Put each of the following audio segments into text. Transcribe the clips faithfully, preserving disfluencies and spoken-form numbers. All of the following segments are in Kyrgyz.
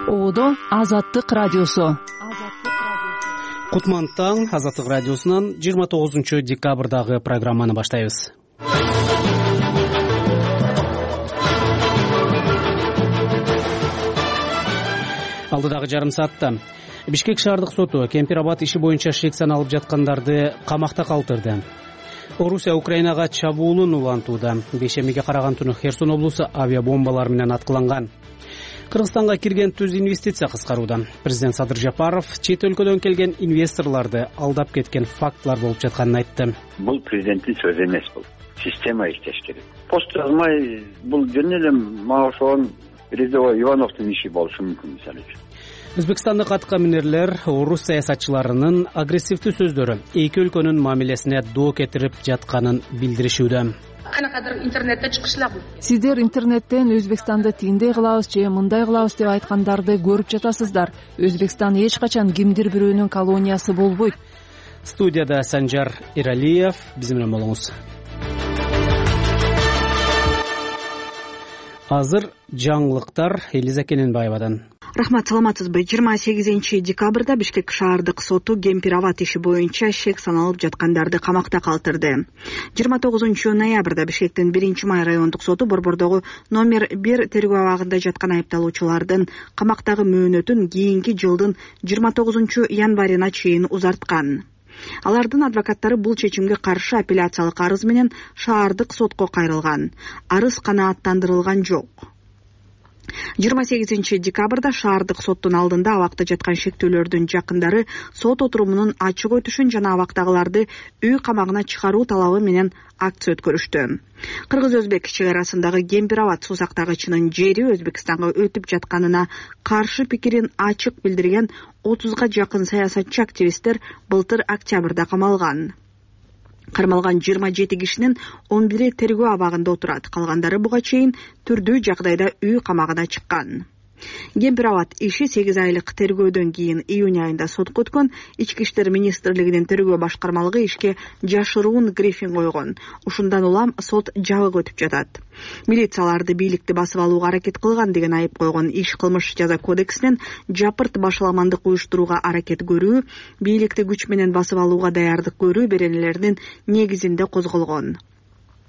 Оодо Азаттык радиосу. Кутман таң, Азаттык радиосунан жыйырма тогузунчу декабрдагы программаны баштайбыз. Алдыдагы жарым саатта Бишкек шаардык соту Кемпир-Абад иши боюнча шек саналып жаткандарды камакта калтырды. Орусия Украинага чабуулун улантууда. Бейшембиге караган түнү Херсон облусу авиабомбалар менен аткыланган. Кыргызстанга кирген түз инвестиция кыскарууда. Президент Садыр Жапаров чет өлкөдөн келген инвесторлорду алдап кеткен фактылар болуп жатканын айтты. Бул президенттин сөзү эмес, бул система иштеш керек. Пост жазмай бул жөн эле мага ошон рядовой Ивановдун иши болушу мүмкүн, мисалы үчүн. Өзбекстандык атка минерлер орус саясатчыларынын агрессивдүү сөздөрү эки өлкөнүн мамилесине доо кетирип жатканын билдиришүүдө. Анакадыр интернетте чыгышлар. Сиздер интернеттен Өзбекстанды тиндей кылабыз же мындай кылабыз деп айткандарды көрүп жатасыздар. Өзбекстан эч качан кимдир бирөөнүн колониясы болбойт. Студияда Санжар Иралиев, биз менен болуңуз. Азыр жаңылыктар Элиза Кененбаевадан. Рахмат, саламатсызбы? жыйырма сегизинчи декабрда Бишкек шаардык соту Кемпир-Абад иши боюнча шек саналып жаткандарды камакта калтырды. жыйырма тогузунчу ноябрда Бишкектин биринчи май райондук соту Борбордогу номер бир тергөө абагында жаткан айыпталуучулардын камактагы мөөнөтүн кийинки жылдын жыйырма тогузунчу январына чейин узарткан. Алардын адвокаттары бул чечимге каршы апелляциялык арыз менен шаардык сотко кайрылган. Арыз канааттандырылган жок. жыйырма сегизинчи декабрда шаардык соттун алдында абакта жаткан шектүүлөрдүн жакындары сот отурумунун ачык өтүшүн жана абактагыларды үй камагына чыгаруу талабы менен акция өткөрүштү. Кыргыз-өзбек чек арасындагы Кемпир-Абад суу сактагычынын жери Өзбекстанга өтүп жатканына каршы пикирин ачык билдирген отузга жакын саясатчы активисттер былтыр октябрда камалган. Кармалган жыйырма жети кишинин он бири тергөө абагында отурат. Калгандары буга чейин түрдүү жагдайда үй камагына чыккан. Кемпир-Абад иши сегиз айлык тергөөдөн кийин июнь айында сотко өткөн. Ички иштер министрлигинин тергөө башкармалыгы ишке жашыруун брифинг койгон. Ушундан улам сот жабык өтүп жатат. Милицияларды бийликти басып алууга аракет кылган деген айып койгон. Иш кылмыш жаза кодексинен жапырт башаламандык уюштурууга аракет көрүү, бийликти күч менен басып алууга даярдык көрүү беренелеринин негизинде козголгон.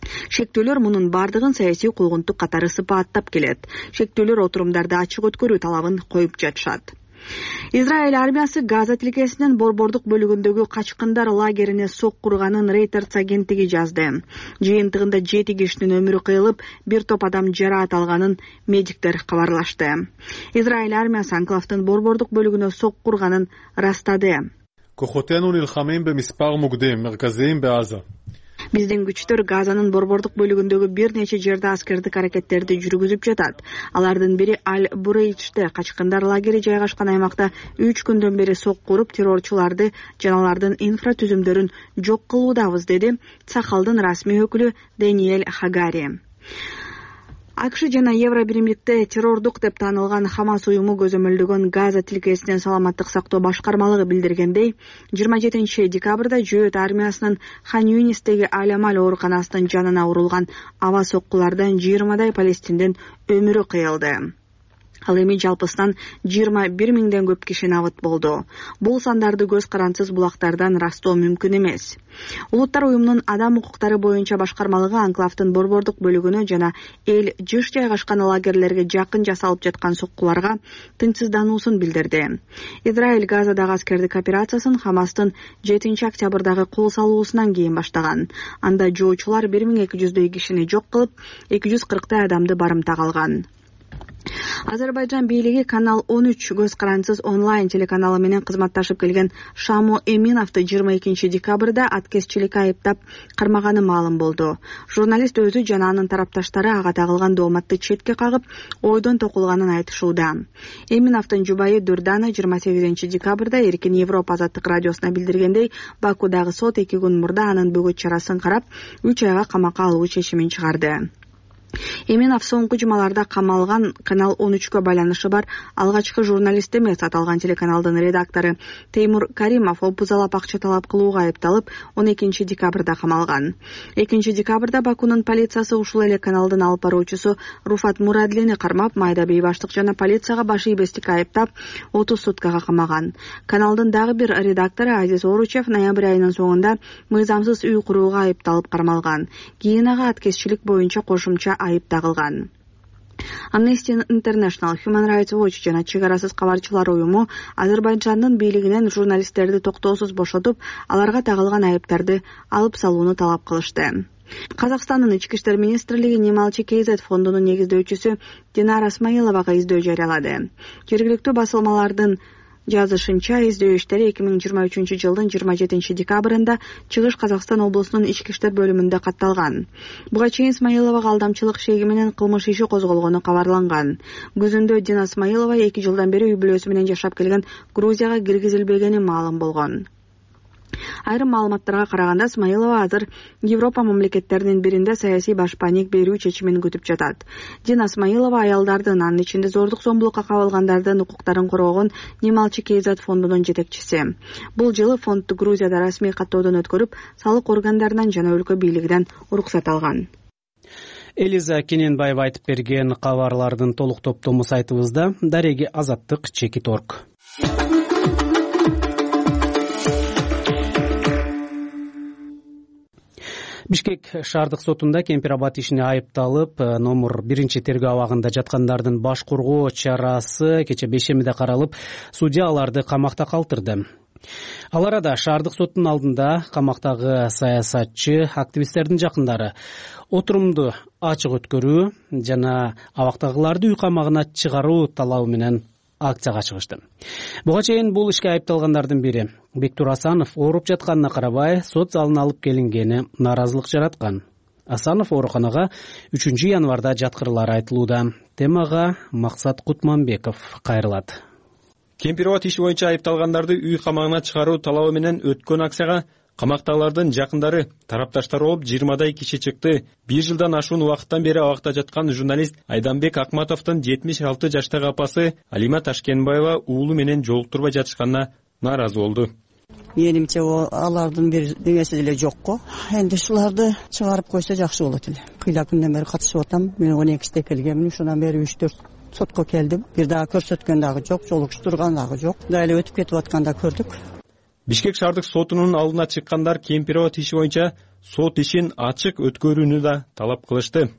Шектүүлөр мунун бардыгын саясий куугунтук катары сыпааттап келет. Шектүүлөр отурумдарды ачык өткөрүү талабын коюп жатышат. Израиль армиясы Газа тилкесинин борбордук бөлүгүндөгү качкындар лагерине сок курганын Reuters агенттиги жазды. Жыйынтыгында жети кишинин өмүрү кыйылып, бир топ адам жараат алганын медиктер кабарлашты. Израиль армиясы анклавдын борбордук бөлүгүнө сок курганын ырастады. Кохотену нилхамим бемиспар мугдим мерказиим беаза. Биздин күчтөр Газанын борбордук бөлүгүндөгү бир нече жерде аскердик аракеттерди жүргүзүп жатат. Алардын бири Аль-Бурейчте качкындар лагери жайгашкан аймакта үч күндөн бери сок куруп, террорчуларды жана алардын инфратүзүмдөрүн жок кылуудабыз, деди Цахалдын расмий өкүлү Даниэль Хагари. АКШ жана Евробиримдикте террордук деп таанылган Хамас уюму көзөмөлдөгөн Газа тилкесинин саламаттык сактоо башкармалыгы билдиргендей, жыйырма жетинчи декабрда Жөөт армиясынын Хан Юнистеги Аль-Амаль ооруканасынын жанына урулган аба соккулардан жыйырмадай палестиндин өмүрү кыйылды. Ал эми жалпысынан жыйырма бир миңден көп киши набыт болду. Бул сандарды көз карансыз булактардан ырастоо мүмкүн эмес. Улуттар уюмунун адам укуктары боюнча башкармалыгы анклавдын борбордук бөлүгүнө жана эл жыш жайгашкан лагерлерге жакын жасалып жаткан соккуларга тынчсыздануусун билдирди. Израиль Газадагы аскердик операциясын Хамастын жетинчи октябрдагы кол салуусунан кийин баштаган. Анда жоочулар бир миң эки жүздөй кишини жок кылып, эки жүз кырктай адамды барымтак алган. Азербайжан бийлиги Канал он үч көз карансыз онлайн телеканалы менен кызматташып келген Шамо Эминовду жыйырма экинчи декабрда аткезчиликке айыптап кармаганы маалым болду. Журналист өзү жана анын тарапташтары ага тагылган дооматты четке кагып, ойдон токулганын айтышууда. Эминовдун жубайы Дурдана жыйырма сегизинчи декабрда Эркин Европа Азаттык радиосуна билдиргендей, Бакудагы сот эки күн мурда анын бөгөт чарасын карап, үч айга камакка алуу чечимин чыгарды. Эменов соңку жумаларда камалган Канал он үчкө байланышы бар алгачкы журналист эмес аталган телеканалдын редактору Теймур Каримов опузалап акча талап кылууга айыпталып он экинчи декабрда камалган. экинчи декабрда Бакунун полициясы ушул эле каналдын алып баруучусу Руфат Мурадлини кармап, майда бейбаштык жана полицияга баш ийбестикке айыптап отуз суткага камаган. Каналдын дагы бир редактору Азиз Оручев ноябрь айынын соңунда мыйзамсыз үй курууга айыпталып кармалган. Кийин ага аткезчилик боюнча кошумча айып тагылган. Amnesty International, Human Rights Watch жана Чек арасыз кабарчылар уюму Азербайжандын бийлигинен журналисттерди токтоосуз бошотуп, аларга тагылган айыптарды алып салууну талап кылышты. Казакстандын ички иштер министрлиги Немалчы КЗ фондунун негиздөөчүсү Динара Исмаиловага издөө жарыялады. Жергиликтүү басылмалардын жазышынча, издөө иштери эки миң жыйырма үчүнчү жылдын жыйырма жетинчи декабрында Чыгыш Казакстан облусунун ички иштер бөлүмүндө катталган. Буга чейин Исмаиловага алдамчылык шеги менен кылмыш иши козголгону кабарланган. Күзүндө Дина Исмаилова эки жылдан бери үй бүлөсү менен жашап келген Грузияга киргизилбегени маалым болгон. Айрым маалыматтарга караганда, Исмаилова азыр Европа мамлекеттеринин биринде саясий башпаник берүү чечимин күтүп жатат. Дина Исмаилова аялдардын, анын ичинде зордук зомбулукка кабылгандардын укуктарын коргогон Немалчы КЗ фондунун жетекчиси. Бул жылы фондду Грузияда расмий каттоодон өткөрүп, салык органдарынан жана өлкө бийлигинен уруксат алган. Элиза Кененбаева айтып берген кабарлардын толук топтому сайтыбызда. Дареги Азаттык Чекит орг. Бишкек шаардык сотунда Кемпир-Абад ишине айыпталып, номер биринчи тергөө абагында жаткандардын баш коргоо чарасы кече бейшембиде каралып, судья аларды камакта калтырды. Ал арада шаардык соттун алдында камактагы саясатчы, активисттердин жакындары отурумду ачык өткөрүү жана абактагыларды үй камагына чыгаруу талабы менен акцияга чыгышты. Буга чейин бул ишке айыпталгандардын бири Бектур Асанов ооруп жатканына карабай сот залына алып келингени нааразылык жараткан. Асанов ооруканага үчүнчү январда жаткырылары айтылууда. Темага Максат Кутманбеков кайрылат. Кемпир-Абад иши боюнча айыпталгандарды үй камагына чыгаруу талабы менен өткөн акцияга камактагылардын жакындары, тарапташтар болуп жыйырмадай киши чыкты. Бир жылдан ашуун убакыттан бери абакта жаткан журналист Айданбек Акматовдун жетимиш алты жаштагы апасы Алима Ташкенбаева уулу менен жолуктурбай жатышканына нааразы болду. Менимче алардын бир деңеси деле жок го. Энди ушуларды чыгарып койсо жакшы болот эле. Кыйла күндөн бери катышып атам. Мен он экиде келгенмин, ушундан бери үч төрт сотко келдим. Бир дагы көрсөткөн дагы жок, жолуктурган дагы жок. Дайылы өтүп кетип атканда көрдүк. Бишкек шаардык сотунун алдына чыккандар Кемпир-Абад иши боюнча сот ишин ачык өткөрүүнү да талап кылышты.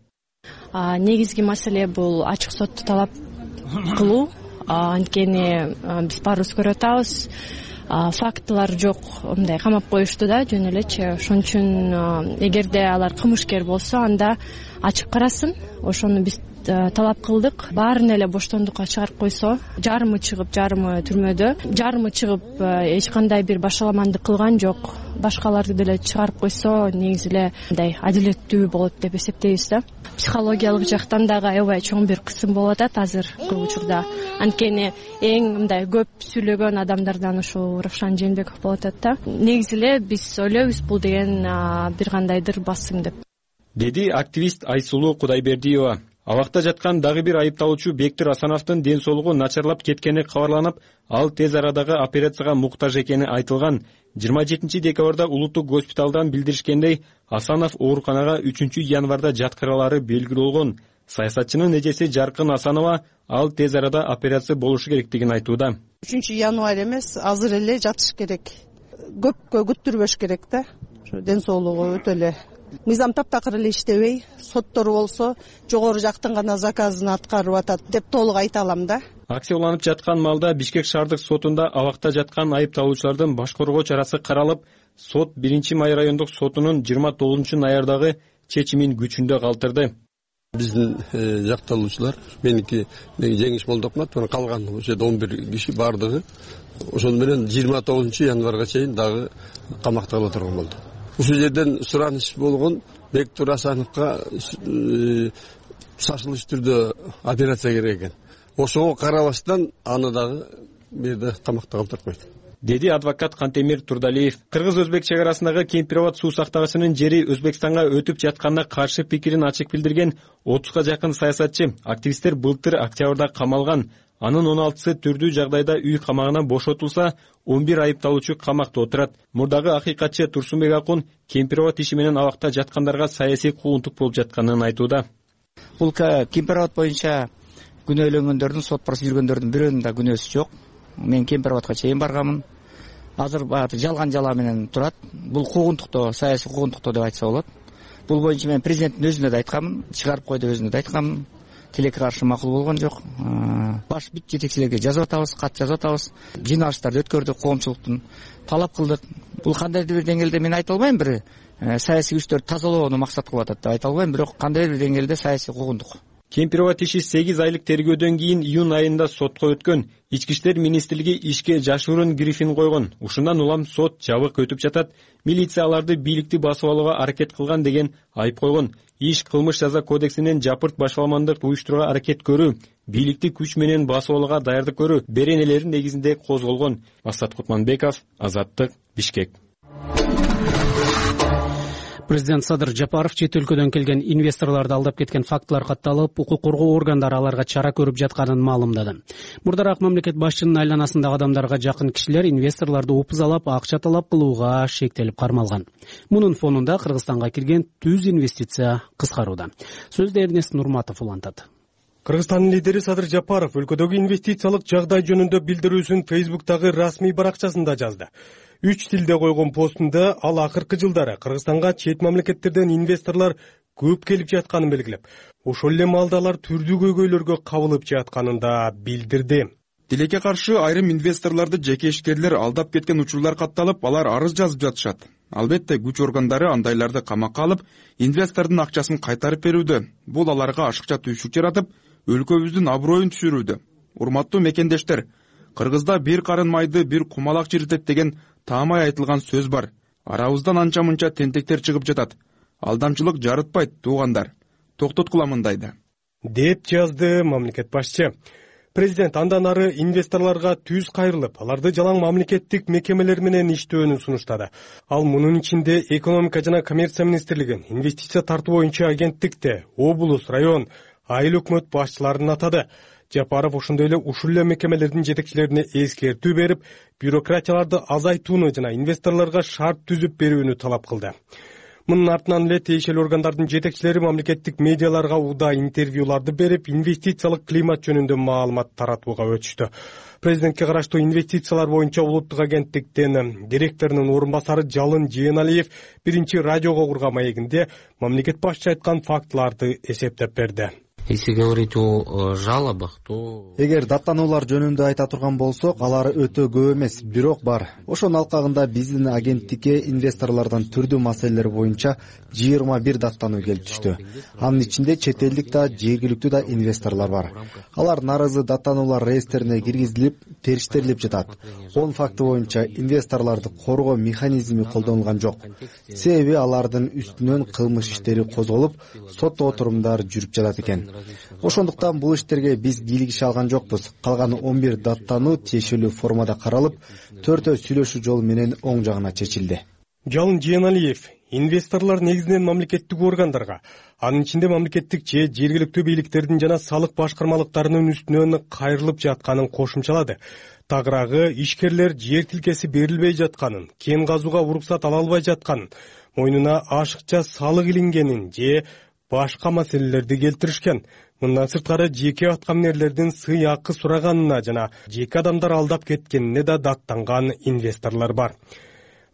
Негизги маселе бул ачык сотту талап кылуу. Анткени биз баарыбыз көрүп атабыз, фактылар жок, мындай камап коюшту да жөн элечи. Ошон үчүн эгерде алар кылмышкер болсо, анда ачык карасын. Ошону биз талап кылдык. Баарын эле боштондукка чыгарып койсо, жарымы чыгып, жарымы түрмөдө, жарымы чыгып эч кандай бир башаламандык кылган жок. Башкаларды деле чыгарып койсо, негизи эле мындай адилеттүү болот деп эсептейбиз да. Психологиялык жактан дагы аябай чоң бир кысым болуп атат азыркы учурда. Анткени эң мындай көп сүйлөгөн адамдардан ушул Равшан Жээнбеков болуп атат да. Негизи эле биз ойлойбуз бул деген бир кандайдыр басым деп. Деди активист Айсулуу Кудайбердиева. Абакта жаткан дагы бир айыпталуучу Бектур Асановдун ден соолугу начарлап кеткени кабарланып, ал тез арадагы операцияга муктаж экени айтылган. жыйырма жетинчи декабрда улуттук госпиталдан билдиришкендей, Асанов ооруканага үчүнчү январда жаткыралары белгилүү болгон. Саясатчынын эжеси Жаркын Асанова ал тез арада операция болушу керектигин айтууда. үчүнчү январь эмес, азыр эле жатыш керек. Көпкө күттүрбөш керек да. Ден соолугу өтө эле мыйзам таптакыр эле иштебей, соттору болсо жогору жактын гана заказын аткарып атат деп толук айта алам да. Акция уланып жаткан маалда Бишкек шаардык сотунда абакта жаткан айыпталуучулардын баш коргоо чарасы каралып, сот биринчи май райондук сотунун жыйырма тогузунчу ноябрдагы чечимин күчүндө калтырды. Биздин жакталуучулар, меники жеңиш Молдокмат, калган ошо он бир киши бардыгы ошону менен жыйырма тогузунчу январга чейин дагы камакта кала турган болду. Ушул жерден сураныш болгон Бектур Асановго шашылыш түрдө операция керек экен. Ошого карабастан аны дагы бир жерде камакта калтырып койду. деди адвокат Кантемир Турдалиев. Кыргыз өзбек чек арасындагы Кемпир Абад суу сактагычынын жери Өзбекстанга өтүп жатканына каршы пикирин ачык билдирген отузга жакын саясатчы, активисттер былтыр октябрда камалган. Анын он алтысы түрдүү жагдайда үй камагынан бошотулса, он бир айыпталуучу камакта отурат. Мурдагы акыйкатчы Турсунбек Акун Кемпир Абад иши менен абакта жаткандарга саясий куугунтук болуп жатканын айтууда. Бул Кемпир Абад боюнча күнөөлөнгөндөрдүн, сот процесс жүргөндөрдүн бирөөнүн да күнөөсү жок. Мен Кемпир Абадка чейин барганмын. Азыр баягы жалган жала менен турат. Бул куугунтуктоо, саясий куугунтуктоо деп айтса болот. Бул боюнча мен президенттин өзүнө да айтканмын, чыгарып кой деп өзүнө да айтканмын. Тилекке каршы макул болгон жок. Баш бүт жетекчилерге жазып атабыз, кат жазып атабыз. Жыйналыштарды өткөрдүк, коомчулуктун талап кылдык. Бул кандайдыр бир деңгээлде мен айта албайм, бир саясий күчтөрдү тазалоону максат кылып атат деп айта албайм, бирок кандайдыр бир деңгээлде саясий куугунтук. Кемпир Абад иши сегиз айлык тергөөдөн кийин июнь айында сотко өткөн. Ички иштер министрлиги ишке жашыруун грифин койгон. Ушундан улам сот жабык өтүп жатат. Милиция аларды бийликти басып алууга аракет кылган деген айып койгон. Иш кылмыш жаза кодексинен жапырт башаламандык уюштурууга аракет көрүү, бийликти күч менен басып алууга даярдык көрүү беренелери негизинде козголгон. Асат Кутманбеков, Азаттык, Бишкек. Президент Садыр Жапаров чет өлкөдөн келген инвесторлорду алдап кеткен фактылар катталып, укук коргоо органдары аларга чара көрүп жатканын маалымдады. Мурдараак мамлекет башчынын айланасындагы адамдарга жакын кишилер инвесторлорду упузалап, акча талап кылууга шектелип кармалган. Мунун фонунда Кыргызстанга кирген түз инвестиция кыскарууда. Сөздү Эрнест Нурматов улантат. Кыргызстандын лидери Садыр Жапаров өлкөдөгү инвестициялык жагдай жөнүндө билдирүүсүн Фейсбуктагы расмий баракчасында жазды. Үч тилде койгон постунда ал акыркы жылдары Кыргызстанга чет мамлекеттерден инвесторлор көп келип жатканын белгилеп, ошол эле маалда алар түрдүү көйгөйлөргө кабылып жатканын да билдирди. Тилекке каршы айрым инвесторлорду жеке ишкерлер алдап кеткен учурлар катталып, алар арыз жазып жатышат. Албетте, күч органдары андайларды камакка алып, инвестордун акчасын кайтарып берүүдө. Бул аларга ашыкча түйшүк жаратып, өлкөбүздүн аброюн түшүрүүдө. Урматтуу мекендештер, Кыргызда бир карын майды бир кумалак чиритет деген таамай айтылган сөз бар. Арабыздан анча-мынча тентектер чыгып жатат. Алдамчылык жарытпайт, туугандар. Токтоткула мындайды, деп жазды мамлекет башчы. Президент андан ары инвесторлорго түз кайрылып, аларды жалаң мамлекеттик мекемелер менен иштөөнү сунуштады. Ал мунун ичинде экономика жана коммерция министрлиги, инвестиция тартуу боюнча агенттикте, облус, район, айыл өкмөт башчыларын атады. Жапаров ошондой эле ушул эле мекемелердин жетекчилерине эскертүү берип, бюрократияларды азайтууну жана инвесторлорго шарт түзүп берүүнү талап кылды. Мунун артынан эле тиешелүү органдардын жетекчилери мамлекеттик медиаларга уда интервьюларды берип, инвестициялык климат жөнүндө маалымат таратууга өтүштү. Президентке караштуу инвестициялар боюнча улуттук агенттиктин директорунун орун басары Жалын Жээналиев биринчи радиого курган маегинде мамлекет башчы айткан фактыларды эсептеп берди. Если говорить о жалобах, то... Эгер даттануулар жөнүндө айта турган болсок, алар өтө көп эмес, бирок бар. Ошонун алкагында биздин агенттикке инвесторлордон түрдүү маселелер боюнча жыйырма бир даттануу келип түштү. Анын ичинде чет элдик да, жергиликтүү да инвесторлор бар. Алар нарызы даттануулар реестрине киргизилип, териштирилип жатат. он факты боюнча инвесторлорду коргоо механизми колдонулган жок. Себеби алардын үстүнөн кылмыш иштери козголуп, сот отурумдар жүрүп жатат экен. Ошондуктан бул иштерге биз кийлигише алган жокпуз. Калган он бир даттануу тиешелүү формада каралып, төртөө сүйлөшүү жолу менен оң жагына чечилди. Жалын Жээналиев инвесторлор негизинен мамлекеттик органдарга, анын ичинде мамлекеттик же жергиликтүү бийликтердин жана салык башкармалыктарынын үстүнөн кайрылып жатканын кошумчалады. Тагыраагы ишкерлер жер тилкеси берилбей жатканын, кен казууга уруксат ала албай жатканын, мойнуна ашыкча салык илингенин же башка маселелерди келтиришкен. Мындан сырткары жеке аткаминерлердин сый акы сураганына жана жеке адамдар алдап кеткенине да даттанган инвесторлор бар.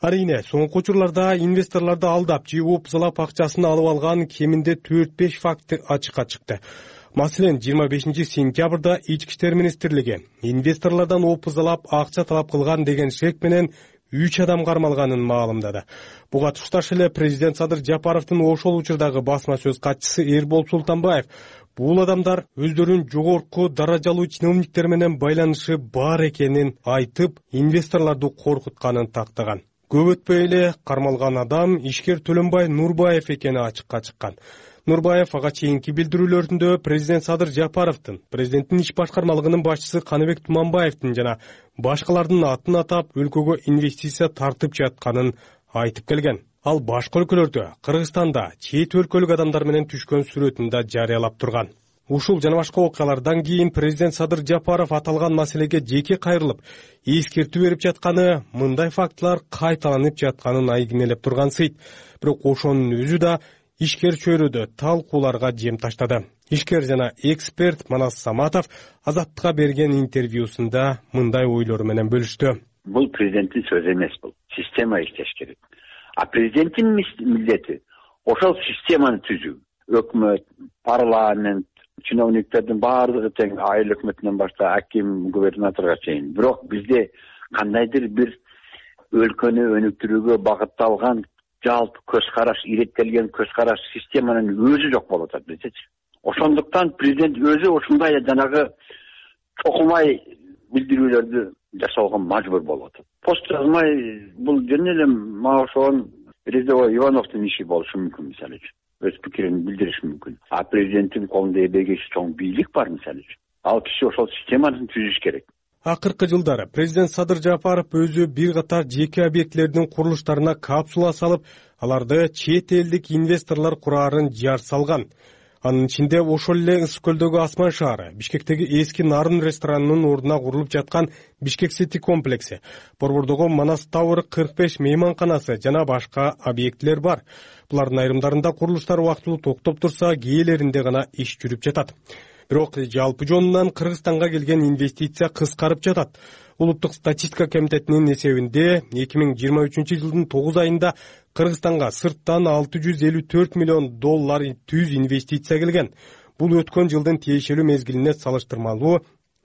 Арийне, соңку учурларда инвесторлорду алдап же упузалап акчасын алып алган кеминде төрт беш факты ачыкка чыкты. Маселен, жыйырма бешинчи сентябрда Ички иштер министрлиги инвесторлордон упузалап акча талап кылган деген шек менен үч адам кармалганын маалымдады. Буга тушташ эле президент Садыр Жапаровдун ошол учурдагы басма сөз катчысы Эрбол Султанбаев бул адамдар өздөрүнүн жогорку даражалуу чиновниктер менен байланышы бар экенин айтып, инвесторлорду коркутканын тактаган. Көп өтпөй эле кармалган адам ишкер Төлөнбай Нурбаев экени ачыкка чыккан. Нурбаев ага чейинки билдирүүлөрүндө президент Садыр Жапаровдун, президенттин иш башкармалыгынын башчысы Каныбек Туманбаевдин жана башкалардын атын атап өлкөгө инвестиция тартып жатканын айтып келген. Ал башка өлкөлөрдө, Кыргызстанда чет өлкөлүк адамдар менен түшкөн сүрөтүн да жарыялап турган. Ушул жана башка окуялардан кийин президент Садыр Жапаров аталган маселеге жеке кайрылып, эскертүү берип жатканы, мындай фактылар кайталанып жатканын айгинелеп тургансыйт. Бирок ошонун өзү да ишкер чөйрөдө талкууларга жем таштады. Ишкер жана эксперт Манас Саматов Азаттыкка берген интервьюсунда мындай ойлору менен бөлүштү. Бул президенттин сөзү эмес, бул система иштеш керек. А президенттин милдети ошол системаны түзүү. Өкмөт, парламент, чиновниктердин баардыгы тең, айыл өкмөтүнөн башка аким, губернаторго чейин. Бирок бизде кандайдыр бир өлкөнү өнүктүрүүгө багытталган жалпы көз караш, иреттелген көз караш системанын өзү жок болуп атат bizdeчи. Ошондуктан президент өзү ушундай жанагы чокумай билдирүүлөрдү жасоого мажбур болуп атат. Пост жазмай бул жөн эле мага ошон рядовой Ивановдун иши болушу мүмкүн, мисалы үчүн. Өз пикирин билдириш мүмкүн. А президенттин колунда эбегейчи чоң бийлик бар, мисалы үчүн. Ал киши ошол системаны түзүш керек. Акыркы жылдары президент Садыр Жапаров өзү бир катар жеке объектилердин курулуштарына капсула салып, аларды чет элдик инвесторлор кураарын жар салган. Анын ичинде ошол эле Ысык көлдөгү Асман шаары, Бишкектеги эски Нарын ресторанынын ордуна курулуп жаткан Бишкек Сити комплекси, Борбордогу Манас Тауэр кырк беш мейманканасы жана башка объектилер бар. Булардын айрымдарында курулуштар убактылуу токтоп турса, кээелеринде гана иш жүрүп жатат. Бирок жалпы жонунан Кыргызстанга келген инвестиция кыскарып жатат. Улуттук статистика комитетинин эсебинде эки миң жыйырма үчүнчү жылдын тогуз айында Кыргызстанга сырттан алты жүз элүү төрт миллион доллар түз инвестиция келген. Бул өткөн жылдын тиешелүү мезгилине салыштырмалуу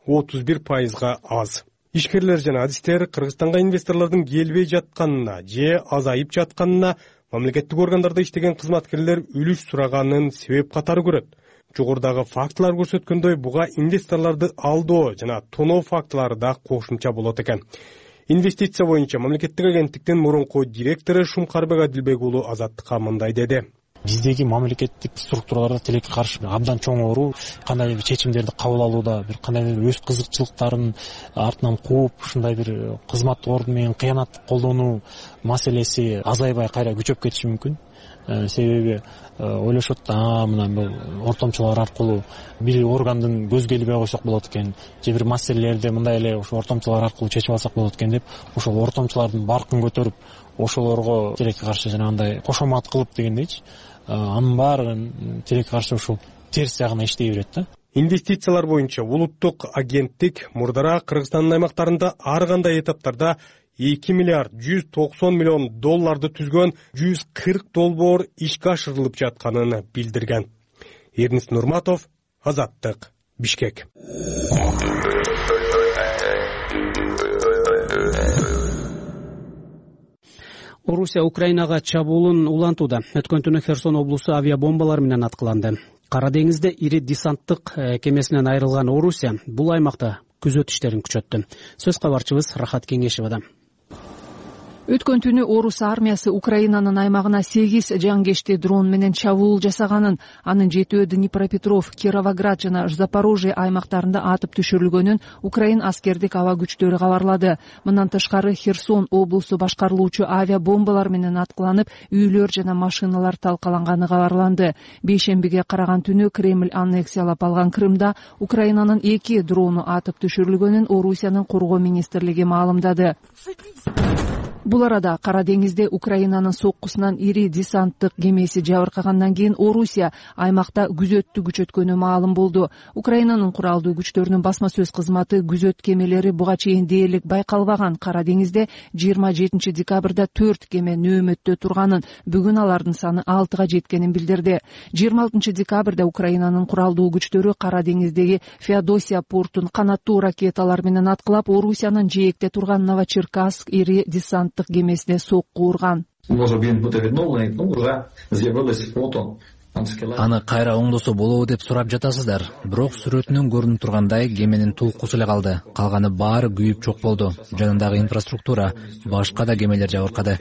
отуз бир пайызга аз. Ишкерлер жана адистер Кыргызстанга инвесторлордун келбей жатканына же азайып жатканына мамлекеттик органдарда иштеген кызматкерлер үлүш сураганын себеп катары көрөт. Жогорудагы фактылар көрсөткөндөй, буга инвесторлорду алдоо жана тоноо фактылары да кошумча болот экен. Инвестиция боюнча мамлекеттик агенттиктин мурунку директору Шумкарбек Адилбек уулу Азаттыкка мындай деди. Биздеги мамлекеттик структураларда тилекке каршы абдан чоң кандай бир чечимдерди кабыл алууда, бир кандай бир өз кызыкчылыктарын артынан кууп, ушундай бир кызматтык ордун менен кыянаттык колдонуу маселеси азайбай кайра күчөп кетиши мүмкүн. Себеби ойлошот да, мына бул ортомчулар аркылуу бир органдын көзгө илбей койсок болот экен, же бир маселелерди мындай эле ошо ортомчулар аркылуу чечип алсак болот экен деп, ошол ортомчулардын баркын көтөрүп, ошолорго тилекке каршы жанагындай кошомат кылып дегендейчи, анын баарын тилекке каршы ушул терс жагына иштей берет да. Инвестициялар боюнча улуттук агенттик мурдара Кыргызстандын аймактарында ар кандай этаптарда эки миллиард жүз токсон миллион долларды түзгөн жүз кырк долбоор ишке ашырылып жатканын билдирген. Эрнис Нурматов, Азаттык, Бишкек. Орусия Украинага чабуулун улантууда. Өткөн түнү Херсон облусу авиабомбалар менен аткыланды. Кара деңизде ири десанттык кемесинен айрылган Орусия бул аймакта күзөт иштерин күчөттү. Сөз кабарчыбыз Рахат Кеңешевада. Өткөн түнү орус армиясы Украинанын аймагына сегиз жангечти дрон менен чабуул жасаганын, анын жетөө Днепропетров, Кировоград жана Запорожье аймактарында атып түшүрүлгөнүн Украин аскердик аба күчтөрү кабарлады. Мындан тышкары Херсон облусу башкарылуучу авиабомбалар менен аткыланып, үйлөр жана машиналар талкаланганы кабарланды. Бейшембиге караган түнү Кремль аннексиялап алган Крымда Украинанын эки дрону атып түшүрүлгөнүн Орусиянын коргоо министрлиги маалымдады. Бул арада Кара деңизде Украинанын соккусунан ири десанттык кемеси жабыркагандан кийин Орусия аймакта күзөттү күчөткөнү маалым болду. Украинанын куралдуу күчтөрүнүн басма сөз кызматы күзөт кемелери буга чейин дээрлик байкалбаган Кара деңизде жыйырма жетинчи декабрда төрт кеме нөөмөттө турганын, бүгүн алардын саны алтыга жеткенин билдирди. жыйырма алтынчы декабрда Украинанын куралдуу күчтөрү Кара деңиздеги Феодосия портун канаттуу ракеталар менен аткылап, Орусиянын жээкте турган Новочеркасск ири десанттык кемесине сокку урган. Може він бути відновлений, ну вже з'явились фото аны кайра оңдосо болобу деп сурап жатасыздар. Бирок сүрөтүнөн көрүнүп тургандай кеменин тулкусу эле калды. Калганы баары күйүп жок болду. Жанындагы инфраструктура, башка да кемелер жабыркады.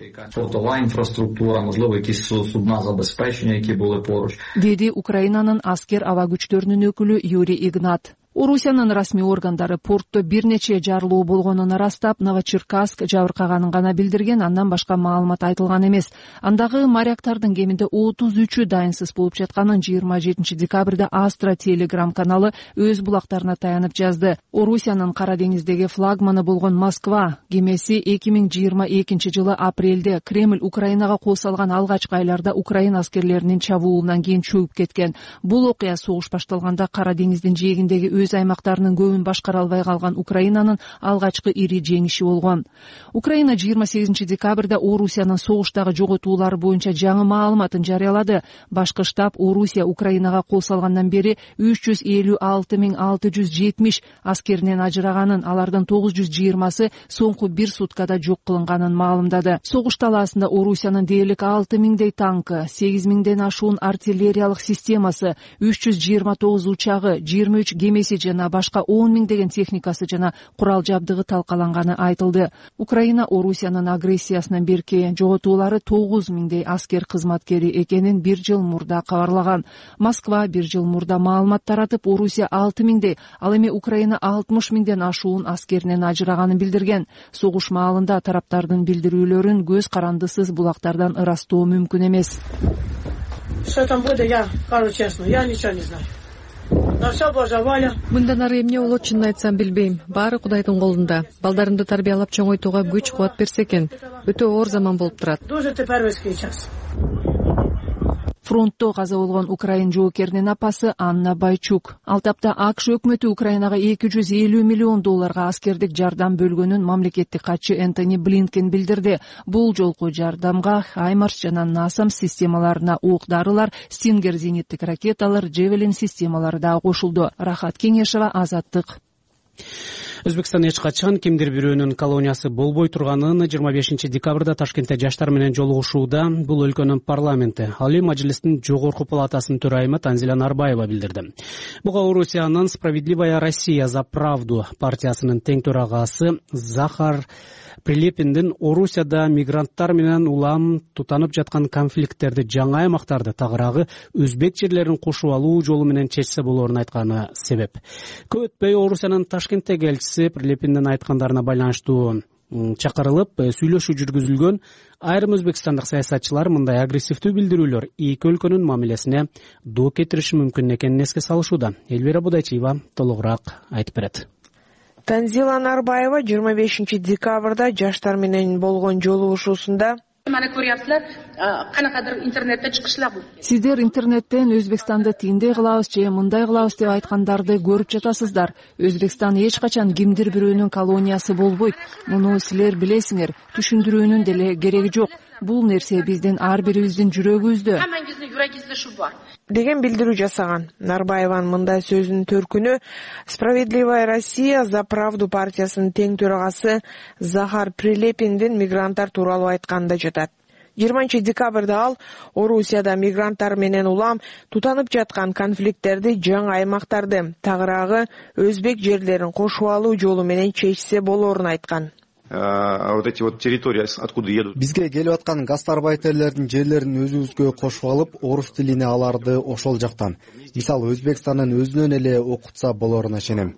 Деди Украинанын аскер аба күчтөрүнүн өкүлү Юрий Игнат. Орусиянын расмий органдары портто бир нече жарылуу болгонун ырастап, Новочеркасск жабыркаганын гана билдирген, андан башка маалымат айтылган эмес. Андагы моряктардын кеминде отуз үчү дайынсыз болуп жатканын жыйырма жетинчи декабрда Астра телеграм каналы өз булактарына таянып жазды. Орусиянын Кара деңиздеги флагманы болгон Москва кемеси эки миң жыйырма экинчи жылы апрелде Кремль Украинага кол салган алгачкы айларда Украина аскерлеринин чабуулунан кийин чөгүп кеткен. Бул окуя согуш башталганда Кара деңиздин жээгиндеги өз аймактарынын көбүн башкара албай калган Украинанын алгачкы ири жеңиши болгон. Украина жыйырма сегизинчи декабрда Орусиянын согуштагы жоготуулары боюнча жаңы маалыматын жарыялады. Башкы штаб Орусия Украинага кол салгандан бери үч жүз элүү алты миң алты жүз жетимиш аскеринен ажыраганын, алардын тогуз жүз жыйырмасы соңку бир суткада жок кылынганын маалымдады. Согуш талаасында Орусиянын дээрлик алты миңдей танкы, сегиз миңден ашуун артиллериялык системасы, үч жүз жыйырма тогуз учагы, жыйырма үч кемеси жана башка он миңдеген техникасы жана курал жабдыгы талкаланганы айтылды. Украина Орусиянын агрессиясынан берки жоготуулары тогуз миңдей аскер кызматкери экенин бир жыл мурда кабарлаган. Москва бир жыл мурда маалымат таратып, Орусия алты миңдей, ал эми Украина алтымыш миңден ашуун аскеринен ажыраганын билдирген. Согуш маалында тараптардын билдирүүлөрүн көз карандысыз булактардан ырастоо мүмкүн эмес. Что там будет, я скажу честно, я ничего не знаю. На все Божья воля. Мындан ары эмне болот, чынын айтсам билбейм. Баары Кудайдын колунда. Балдарымды тарбиялап чоңойтууга күч кубат берсе экен. Өтө оор заман болуп турат. Дуже тепервский час. Фронтто каза болгон украин жоокеринин апасы Анна Байчук. Ал тапта АКШ өкмөтү Украинага эки жүз элүү миллион долларга аскердик жардам бөлгөнүн мамлекеттик катчы Энтони Блинкен билдирди. Бул жолку жардамга Хаймарс жана Насам системаларына ок-дарылар, Стингер зениттик ракеталар, Джевелин системалары да кошулду. Рахат Кеңешова, Азаттык. Өзбекстан эч качан кимдир бирөөнүн колониясы болбой турганын жыйырма бешинчи декабрда Ташкентте жаштар менен жолугушууда бул өлкөнүн парламенти, Алий Мажлистин жогорку палатасынын төрайымы Танзила Нарбаева билдирди. Буга Орусиянын Справедливая Россия за правду партиясынын тең төрагасы Захар Прилепиндин Орусияда мигранттар менен улам тутанып жаткан конфликттерди жаңы аймактарды, тагыраагы өзбек жерлерин кошуп алуу жолу менен чечсе болоорун айтканы себеп. Көп өтпөй Орусиянын Ташкенттеги элчиси Прилепиндин айткандарына байланыштуу чакырылып сүйлөшүү жүргүзүлгөн. Айрым өзбекстандык саясатчылар мындай агрессивдүү билдирүүлөр эки өлкөнүн мамилесине доо кетириши мүмкүн экенин эске салышууда. Элвира Будайчиева толугураак айтып берет. Танзила Нарбаева жыйырма бешинчи декабрда жаштар менен болгон жолугушуусунда Мана көрүпсүздөр, канакадыр интернетте чыгышлар бул. Сиздер интернеттен Өзбекстанды тиндей кылабыз же мындай кылабыз деп айткандарды көрүп жатасыздар. Өзбекстан эч качан кимдир бирөөнүн колониясы болбойт. Муну силер билесиңер. Түшүндүрүүнүн деле кереги жок. Бул нерсе биздин ар бирибиздин жүрөгүбүздө. Хаммаңыздын жүрөгүңүздө шу бар. деген билдирүү жасаган. Нарбаеванын мындай сөзүнүн төркүнү Справедливая Россия за правду партиясынын тең төрагасы Захар Прилепиндин мигранттар тууралуу айтканында жатат. жыйырманчы декабрда ал Орусияда мигранттар менен улам тутанып жаткан конфликттерди, жаңы аймактарды, тагыраагы өзбек жерлерин кошуп алуу жолу менен чечсе болоорун айткан. Вот эти вот территории, откуда едут. Бизге келип аткан гастарбайтерлердин жерлерин өзүбүзгө кошуп алып, орус тилине аларды ошол жактан. Мисалы Өзбекстандын өзүнөн эле окутса болоруна ишенем.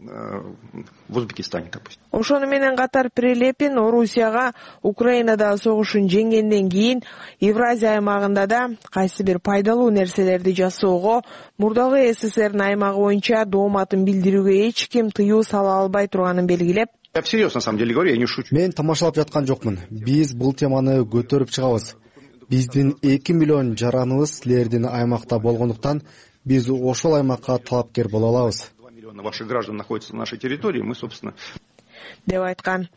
В Узбекистане, допустим. Ошону менен катар Прилепин Орусияга Украинада согушун жеңгенден кийин Евразия аймагында да кайсы бир пайдалуу нерселерди жасоого, мурдагы СССРдин аймагы боюнча дооматын билдирүүгө эч ким тыюу сала албай турганын белгилеп, Я всерьез, на самом деле, говорю, я не шучу. Мен тамашалап жаткан жокмун. Биз бул теманы көтөрүп чыгабыз. Биздин эки миллион жараныбыз силердин аймакта болгондуктан биз ошол аймакка талапкер боло алабыз. два миллиона ваших граждан находятся на нашей территории, мы, собственно... деп айткан.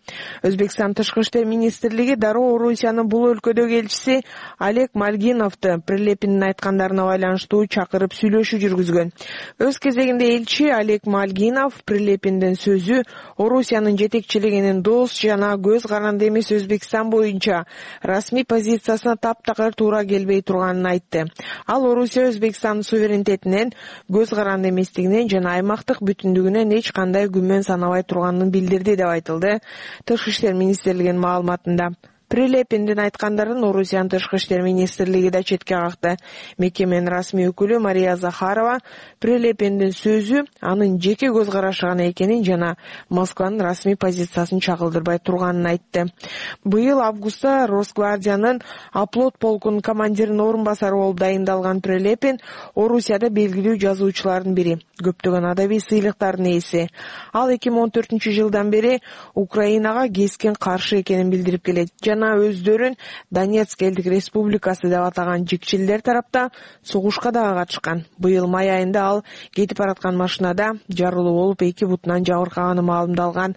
Өзбекстан тышкы иштер министрлиги дароо Орусиянын бул өлкөдөгү элчиси Олег Мальгиновду Прилепиндин айткандарына байланыштуу чакырып сүйлөшүү жүргүзгөн. Өз кезегинде элчи Олег Мальгинов Прилепиндин сөзү Орусиянын жетекчилигинин дос жана көз каранды эмес Өзбекстан боюнча расмий позициясына таптакыр туура келбей турганын айтты. Ал Орусия Өзбекстандын суверенитетинен, көз каранды эместигинен жана аймактык бүтүндүгүнөн эч кандай күмөн санабай турганын билдирди деп айтылды тышкы иштер министрлигинин маалыматында. Прилепиндин айткандарын Орусиянын тышкы иштер министрлиги да четке какты. Мекеменин расмий өкүлү Мария Захарова Прилепиндин сөзү анын жеке көз карашы гана экенин жана Москванын расмий позициясын чагылдырбай турганын айтты. Быйыл августта Росгвардиянын Оплот полкунун командиринин орун басары болуп дайындалган Прилепин Орусияда белгилүү жазуучулардын бири, көптөгөн адабий сыйлыктардын ээси. Ал эки миң он төртүнчү жылдан бери Украинага кескен каршы экенин билдирип келет. Өздөрүн Донецк элдик республикасы деп атаган жикчилдер тарапта согушка дагы катышкан. Быйыл май айында ал кетип бараткан машинада жарылуу болуп эки бутунан жабыркаганы маалымдалган.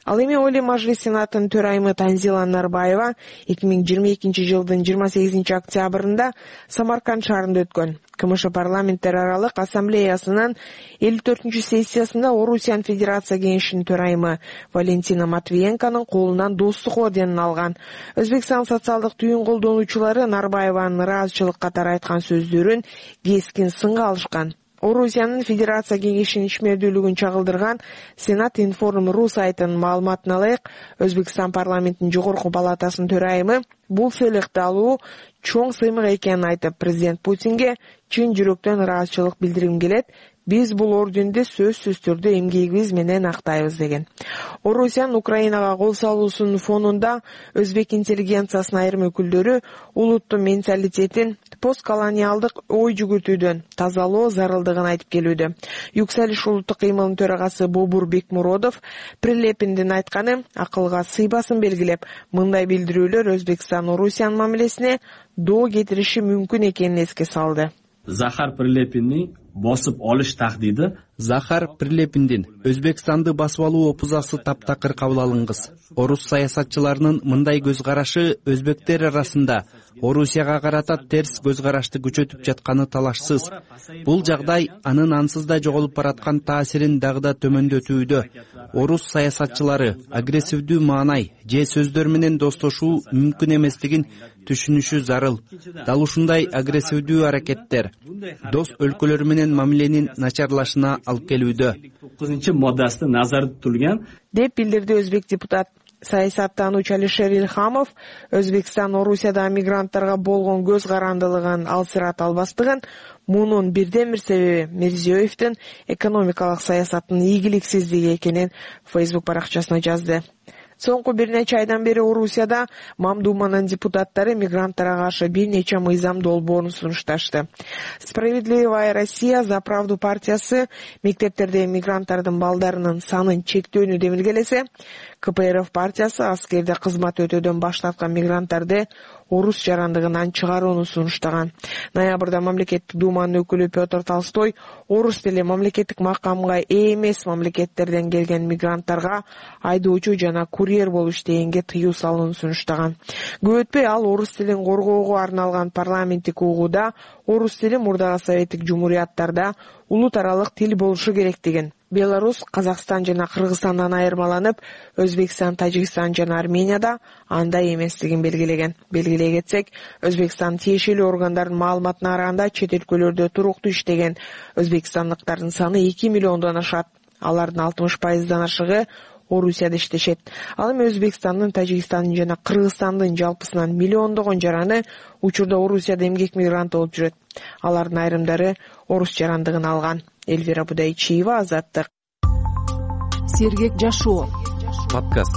Ал эми Олий Мажлис Сенатынын төрайымы Танзила Нарбаева эки миң жыйырма экинчи жылдын жыйырма сегизинчи октябрында Самарканд шаарында өткөн КМШ парламенттер аралык ассамблеясынын элүү төртүнчү сессиясында Орусиянын Федерация кеңешинин төрайымы Валентина Матвиенконун колунан достук орденин алган. Өзбекстан социалдык түйүн колдонуучулары Нарбаеванын ыраазычылык катары айткан сөздөрүн кескин сынга алышкан. Орусиянын Федерация кеңешинин ишмердүүлүгүн чагылдырган Сенат Информ.ру сайтынын маалыматына ылайык, Өзбекстан парламентинин жогорку палатасынын төрайымы бул сыйлыкты алуу чоң сыймык экенин айтып, президент Путинге чын жүрөктөн ыраазычылык билдиргим келет. Биз бул орденди сөзсүз түрдө эмгегибиз менен актайбыз деген. Орусиянын Украинага кол салуусунун фонунда өзбек интеллигенциясынын айрым өкүлдөрү улуттун менталитетин постколониалдык ой жүгүртүүдөн тазалоо зарылдыгын айтып келүүдө. Юксалиш улуттук кыймылынын төрагасы Бобур Бекмуродов Прилепиндин айтканы акылга сыйбасын белгилеп, мындай билдирүүлөр Өзбекстан Орусиянын мамилесине доо кетириши мүмкүн экенин эске салды. Захар Прилепинни босуп олуш тахдиди Захар Прилепиндин Өзбекстанды басып алуу опузасы таптакыр кабыл алынгыс. Орус саясатчыларынын мындай көз карашы өзбектер арасында Орусияга карата терс көз карашты күчөтүп жатканы талашсыз. Бул жагдай анын ансыз да жоголуп бараткан таасирин дагы да төмөндөтүүдө. Орус саясатчылары агрессивдүү маанай же сөздөр менен достошуу мүмкүн эместигин түшүнүшү зарыл. Дал ушундай агрессивдүү аракеттер дос өлкөлөр менен мамиленин начарлашына алып келүүдө. тогузунчу моддасында назарда турган деп билдирди өзбек депутат. Саясаттануучу Алишер Илхамов Өзбекстан Орусияда мигранттарга болгон көз карандылыгын алсырата албастыгын, мунун бирден бир себеби Мирзиёевдин экономикалык саясатынын ийгиликсиздиги экенин Facebook баракчасына жазды. Соңку бир нече айдан бери Орусияда Мамдуманын депутаттары мигранттарга каршы бир нече мыйзам долбоорун сунушташты. Справедливая Россия за правду партиясы мектептердеги мигранттардын балдарынын санын чектөөнү демилгелесе, КПРФ партиясы аскерде кызмат өтөөдөн баш тарткан мигранттарды орус жарандыгынан чыгарууну сунуштаган. Ноябрда мамлекеттик думанын өкүлү Петр Толстой орус тили мамлекеттик макамга ээ эмес мамлекеттерден келген мигранттарга айдоочу жана курьер болуп иштегенге тыюу салууну сунуштаган. Көп өтпөй ал орус тилин коргоого арналган парламенттик угууда орус тили мурдагы советтик жумурияттарда улут аралык тил болушу керектигин, Беларусь, Казакстан жана Кыргызстандан айырмаланып, Өзбекстан, Тажикстан жана Арменияда андай эместигин белгилеген. Белгилей кетсек, Өзбекстан тиешелүү органдардын маалыматына караганда чет өлкөлөрдө туруктуу иштеген өзбекстандыктардын саны эки миллиондон ашат. Алардын алтымыш пайыздан ашыгы Орусияда иштешет. Ал эми Өзбекстандын, Тажикстандын жана Кыргызстандын жалпысынан миллиондогон жараны учурда Орусияда эмгек мигранты болуп жүрөт. Алардын айрымдары орус жарандыгын алган. Эльвира Будайчиева, Азаттык. Сергек жашоо. Подкаст.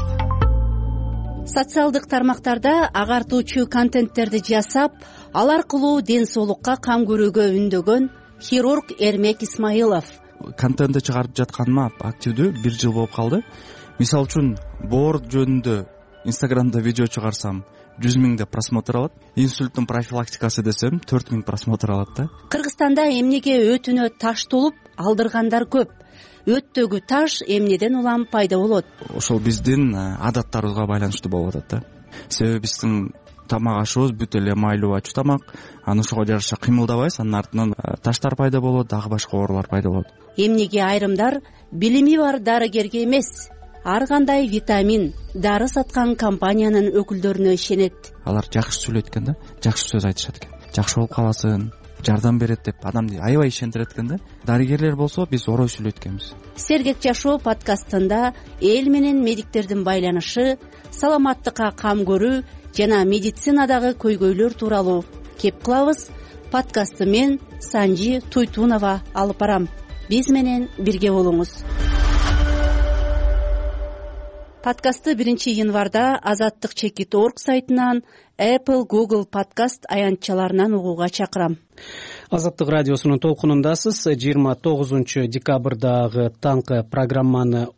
Социалдык тармактарда агартуучу контенттерди жасап, ал аркылуу ден соолукка кам көрүүгө үндөгөн хирург Эрмек Исмаилов. Контентти чыгарып жатканыма активдүү бир жыл болуп калды. Мисалы үчүн боор жөнүндө Инстаграмда видео чыгарсам жүз миңде просмотр алат. Инсульттун профилактикасы десем төрт миң просмотр алат да. Кыргызстанда эмнеге өтүнө таш толуп алдыргандар көп. өттөгү таш эмнеден улам пайда болот? Ошол биздин адаттарыбызга байланыштуу болуп атат да. Себеби биздин тамак ашыбыз бүт эле майлуу ачуу тамак, анан ошого жараша кыймылдабайбыз, анын артынан таштар пайда болот, дагы башка оорулар пайда болот. Эмнеге айрымдар билими бар дарыгерге эмес, ар кандай витамин, дары саткан компаниянын өкүлдөрүнө ишенет? Алар жакшы сүйлөйт экен да, жакшы сөз айтышат экен. Жакшы болуп каласың, жардам берет деп адамды аябай ишендирет экен да. Дарыгерлер болсо биз орой сүйлөйт экенбиз. Сергек жашоо подкастында эл менен медиктердин байланышы, саламаттыкка кам көрүү жана медицинадагы көйгөйлөр тууралуу кеп кылабыз. Подкастты мен Санжи Туйтунова алып барам. Биз менен бирге болуңуз. Подкастты биринчи январда Азаттык чекит точка орг сайтынан, Apple, Google подкаст аянтчаларынан угууга чакырам. Азаттык радиосунун толкунундасыз. жыйырма тогузунчу декабрдагы таңкы программаны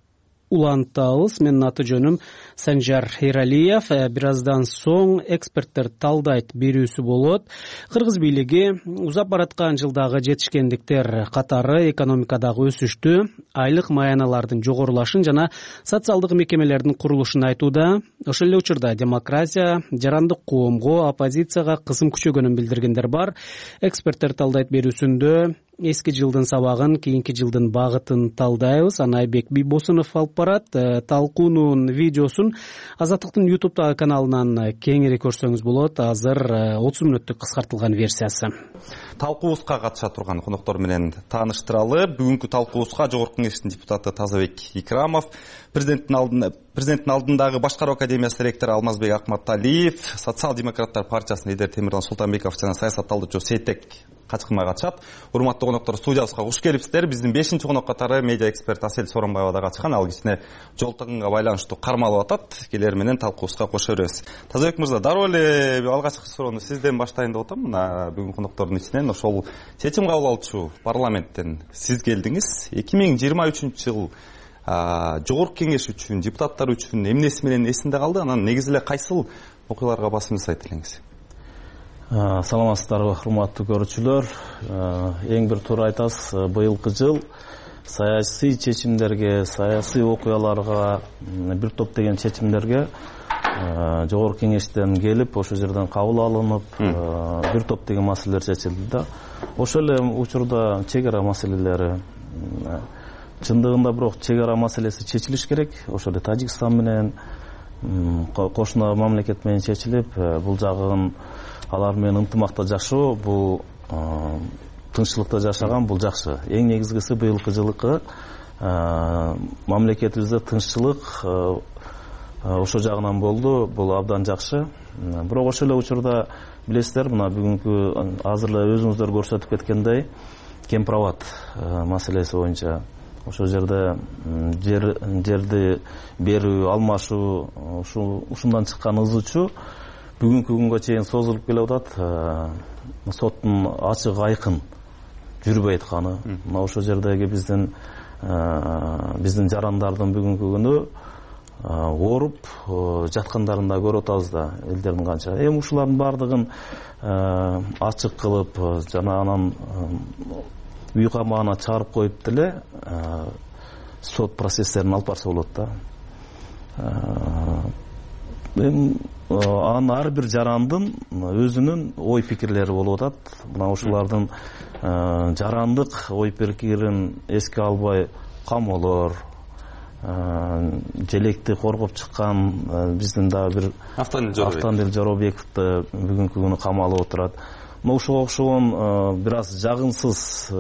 улантабыз. Менин аты жөнүм Санжар Эралиев. Бир аздан соң эксперттер талдайт берүүсү болот. Кыргыз бийлиги узап бараткан жылдагы жетишкендиктер катары экономикадагы өсүштү, айлык маяналардын жогорулашын жана социалдык мекемелердин курулушун айтууда. Ошол эле учурда демократия, жарандык коомго, оппозицияга кысым күчөгөнүн билдиргендер бар. Эксперттер талдайт берүүсүндө эски жылдын сабагын, кийинки жылдын багытын талдайбыз. Анайбек Бийбосунов алып барат. Талкуунун видеосун Азаттыктын YouTube каналынан кеңири көрсөңүз болот. Азыр отуз мүнөттүк кыскартылган версиясы. Талкуубузга катыша турган коноктор менен тааныштыралы. Бүгүнкү талкуубузга Жогорку Кеңештин депутаты Тазабек Икрамов, президенттин алдында президенттин алдындагы башкаруу академиясы ректору Алмазбек Акматалиев, социал-демократтар партиясынын лидери Темирлан Султанбеков жана саясатталуучу Сейтбек Качкынбай катышат. Урматтуу коноктор, студиябызга куш келипсиздер. Биздин бешинчи конок катары медиа эксперт Асель Сооронбаева да катышкан. Ал кичине жол тыгынга байланыштуу кармалып атат. Келер менен талкуубузга кошо беребиз. Тазабек мырза, дароо эле алгачкы суроону сизден баштайын деп атам. Мына бүгүн коноктордун ичинен ошол чечим кабыл алуучу парламенттен сиз келдиңиз. эки миң жыйырма үчүнчү жыл Жогорку Кеңеш үчүн, депутаттар үчүн эмнеси менен эсинде калды? Анан негизи эле кайсыл окуяларга басым жасайт элеңиз? Саламатсыздарбы, урматтуу көрүүчүлөр. Эң бир туура айтасыз, быйылкы жыл саясий чечимдерге, саясий окуяларга, бир топ деген чечимдерге Жогорку Кеңештен келип, ошол жерден кабыл алынып, бир топ деген маселелер чечилди да. Ошол эле учурда чек ара маселелери, чындыгында бирок чек ара маселеси чечилиш керек. Ошол эле Тажикстан менен, кошуна мамлекет менен чечилип, бул жагын алар менен ынтымакта жашоо, бул тынччылыкта жашаган, бул жакшы. Эң негизгиси быйылкы жылкы мамлекетибизде тынччылык ошол жагынан болду. Бул абдан жакшы. Бирок ошол эле учурда билесиздер, мына бүгүнкү азыр эле өзүңүздөр көрсөтүп кеткендей, кемпирабад маселеси боюнча ошол жерде жер жерди берүү, алмашуу, ушундан чыккан ызычуу бүгүнкү күнгө чейин созулуп келип атат. Соттун ачык айкын жүрбөй атканы, мына ошол жердеги биздин биздин жарандардын бүгүнкү күнү ооруп жаткандарын да көрүп атабыз да, элдердин канча. Эми ушулардын баардыгын ачык кылып жана анан үй камагына чыгарып коюп деле сот процесстерин алып барса болот да. Анын ар бир жарандын өзүнүн ой пикирлери болуп атат. Мына ушулардын жарандык ой пикирин эске албай камоолор, желекти коргоп чыккан биздин дагы бир Автандил Жоробековду бүгүнкү күнү камалып отурат. Мына ушуга окшогон бир аз жагымсыз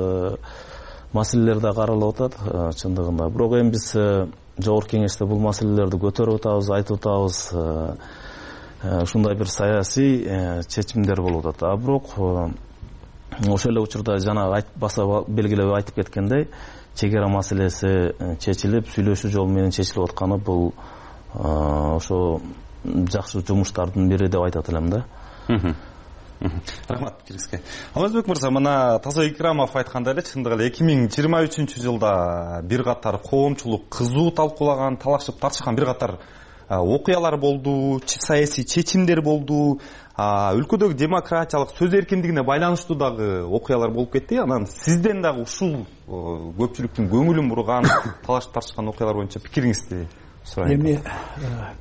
маселелер да каралып атат чындыгында. Бирок эми биз Жогорку Кеңеште бул маселелерди көтөрүп атабыз, айтып атабыз. Ушундай бир саясий чечимдер болуп атат. А бирок ошол эле учурда жана баса белгилеп айтып кеткендей, чек ара маселеси чечилип, сүйлөшүү жолу менен чечилип атканы бул ошо жакшы жумуштардын бири деп айтат элем да. Рахмат пикириңизге. Алмазбек мырза, мына Тазабек Икрамов айткандай эле, чындыгы эле эки миң жыйырма үчүнчү жылда бир катар коомчулук кызуу талкуулаган, талашып тартышкан бир катар окуялар болду, саясий чечимдер болду, өлкөдөгү демократиялык сөз эркиндигине байланыштуу дагы окуялар болуп кетти. Анан сизден дагы ушул көпчүлүктүн көңүлүн бурган, талашып тартышкан окуялар боюнча пикириңизди сурайм. Эми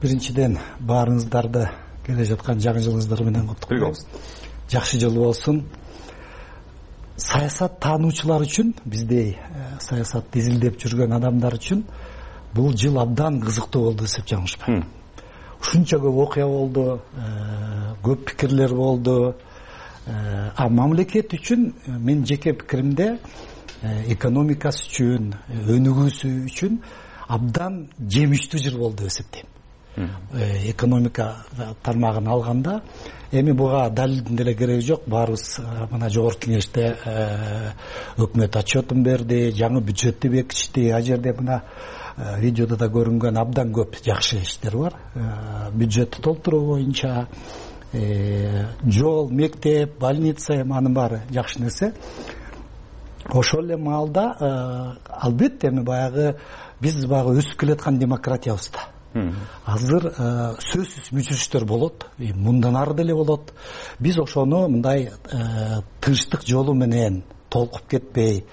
биринчиден баарыңыздарды келе жаткан жаңы жылыңыздар менен куттуктайбыз. Жакшы жыл болсун. Саясат таануучулар үчүн, биздей саясатты изилдеп жүргөн адамдар үчүн бул жыл абдан кызыктуу болду десек жаңылышпайм. Ушунча көп окуя болду, көп пикирлер болду. А мамлекет үчүн мен жеке пикиримде экономикасы үчүн, өнүгүүсү үчүн абдан жемиштүү жыл болду деп эсептейм. Экономика тармагын алганда, эми буга далилдин деле кереги жок. Баарыбыз мына жогорку кеңеште өкмөт отчетун берди, жаңы бюджетти бекитишти. А жерде мына видеодо да көрүнгөн абдан көп жакшы иштер бар. Бюджетти толтуруу боюнча жол, мектеп, больница, анын баары жакшы нерсе. Ошол эле маалда албетте эми баягы биз баягы өсүп келаткан демократиябызда азыр сөзсүз мүчүрүштөр болот, мындан ары деле болот. Биз ошону мындай тынчтык жолу менен толкуп кетпей,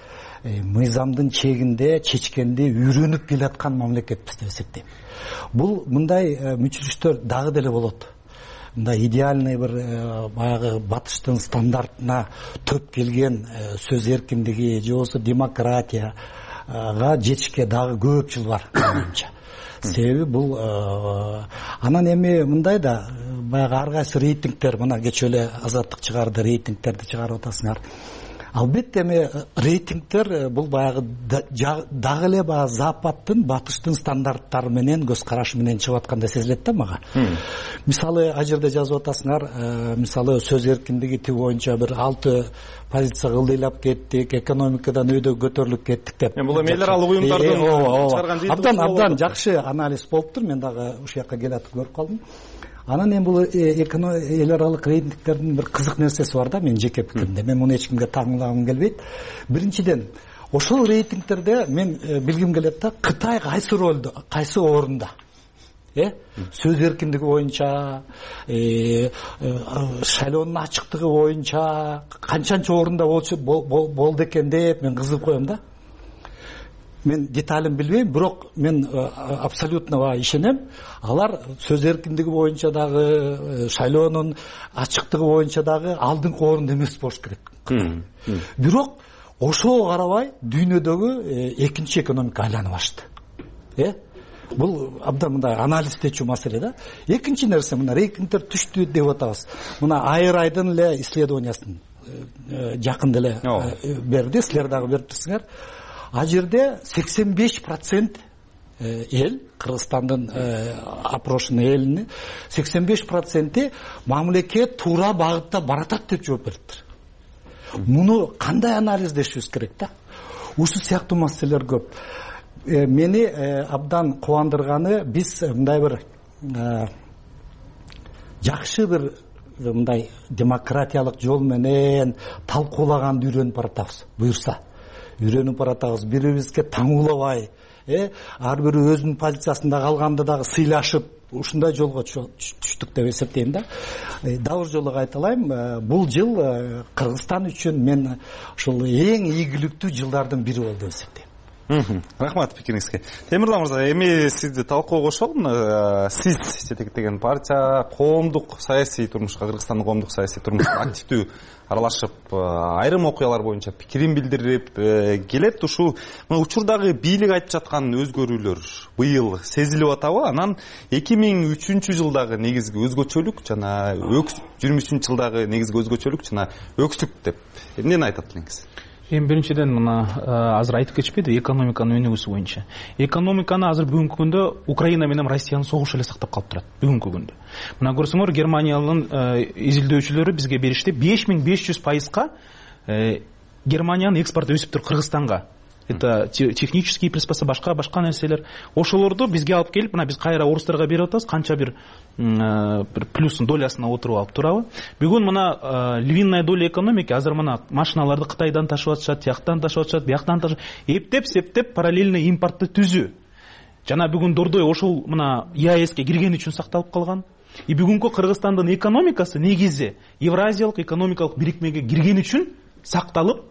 мыйзамдын чегинде чечкенди үйрөнүп келаткан мамлекетпиз деп эсептейм. Бул мындай мүчүрүштөр дагы деле болот. Мындай идеальный бир баягы батыштын стандартына төп келген сөз эркиндиги же болбосо демократияга жетишке дагы көп жыл бар менимче. Себеби бул анан эми мындай да баягы ар кайсы рейтингдер, мына кечээ эле Азаттык чыгарды, рейтингдерди чыгарып атасыңар. Албетте эми рейтингдер бул баягы дагы эле баягы Западтын, батыштын стандарттары менен, көз карашы менен чыгып аткандай сезилет да мага. Мисалы, а жерде жазып атасыңар, мисалы сөз эркиндиги тиги боюнча бир алты позиция ылдыйлап кеттик, экономикадан өйдө көтөрүлүп кеттик деп. Бул эми эл аралык уюмдардын чыгарган жыйынтыгы. Абдан абдан жакшы анализ болуптур. Мен дагы ушул жака келатып көрүп калдым. Анан эми бул эл аралык рейтингдердин бир кызык нерсеси бар да, мен жеке пикиримде. Мен муну эч кимге таңлагым келбейт. Биринчиден, ошол рейтингдерде мен билгим келет да, Кытай кайсы ролдо, кайсы орунда? Э? Сөз эркиндиги боюнча, шайлоонун ачыктыгы боюнча канчанчы орунда болду экен деп мен кызыгып коем да. Мен деталин билбейм, бирок мен абсолютно ишенем. Алар сөз эркиндиги боюнча дагы, шайлоонун ачыктыгы боюнча дагы алдыңкы орунда эмес болуш керек. Бирок ошого карабай дүйнөдөгү экинчи экономика айланып ашты. Э? Бул абдан мындай анализдечүү маселе да. Экинчи нерсе, мына рейтингдер түштү деп атабыз. Мына Айрайдын эле исследованиясын жакын деле берди, силер дагы берип турсуңар. А жерде сексен беш процент эл, Кыргызстандын опрошенный элини сексен беш проценти мамлекет туура багытта баратат деп жооп бериптир. Муну кандай анализдешибиз керек да? Ушул сыяктуу маселелер көп. Мени абдан кубандырганы, биз мындай бир жакшы бир мындай демократиялык жол менен талкуулаганды үйрөнүп баратабыз. Буюрса үйрөнүп баратабыз, бири-бирибизге таңуулабай, ар бири өзүнүн позициясында калганда дагы сыйлашып, ушундай жолго түштүк деп эсептейм да. Дагы жолу кайталайм, бул жыл Кыргызстан үчүн мен ушул эң ийгиликтүү жылдардын бири болду деп эсептейм. Рахмат пикириңизге. Темирлан мырза, эми сизди талкууга кошолум. Сиз жетектеген партия коомдук саясий турмушка, Кыргызстандын коомдук саясий турмушуна активдүү аралашып, айрым окуялар боюнча пикирин билдирип келет. Ушул учурдагы бийлик айтып жаткан өзгөрүүлөр быйыл сезилип атабы? Анан эки миң үчүнчү жылдагы негизги өзгөчөлүк жана жыйырма үчүнчү жылдагы негизги өзгөчөлүк жана өксүк деп эмнени айтат элеңиз? Эми биринчиден мына азыр айтып кетишпеди экономиканын өнүгүүсү боюнча. Экономиканы азыр бүгүнкү күндө Украина менен Россиянын согушу эле сактап калып турат бүгүнкү күндө. Мына көрсөңөр, Германиянын изилдөөчүлөрү бизге беришти беш миң беш жүз пайызга Германиянын экспорту өсүп тур Кыргызстанга. Это технические приспособления, башка башка нерселер. Ошолорду бизге алып келип, мына биз кайра орустарга берип атабыз, канча бир бир плюстун долясына отуруп алып турабы. Бүгүн мына львиная доля экономики азыр мына машиналарды Кытайдан ташып атышат, тияктан ташып атышат, бияктан ташып, эптеп, септеп параллельный импортты түзүү. жана бүгүн Дордой ошол мына ЕАЭСке кирген үчүн сакталып калган. И бүгүнкү Кыргызстандын экономикасы негизи Евразиялык экономикалык бирикмеге кирген үчүн сакталып,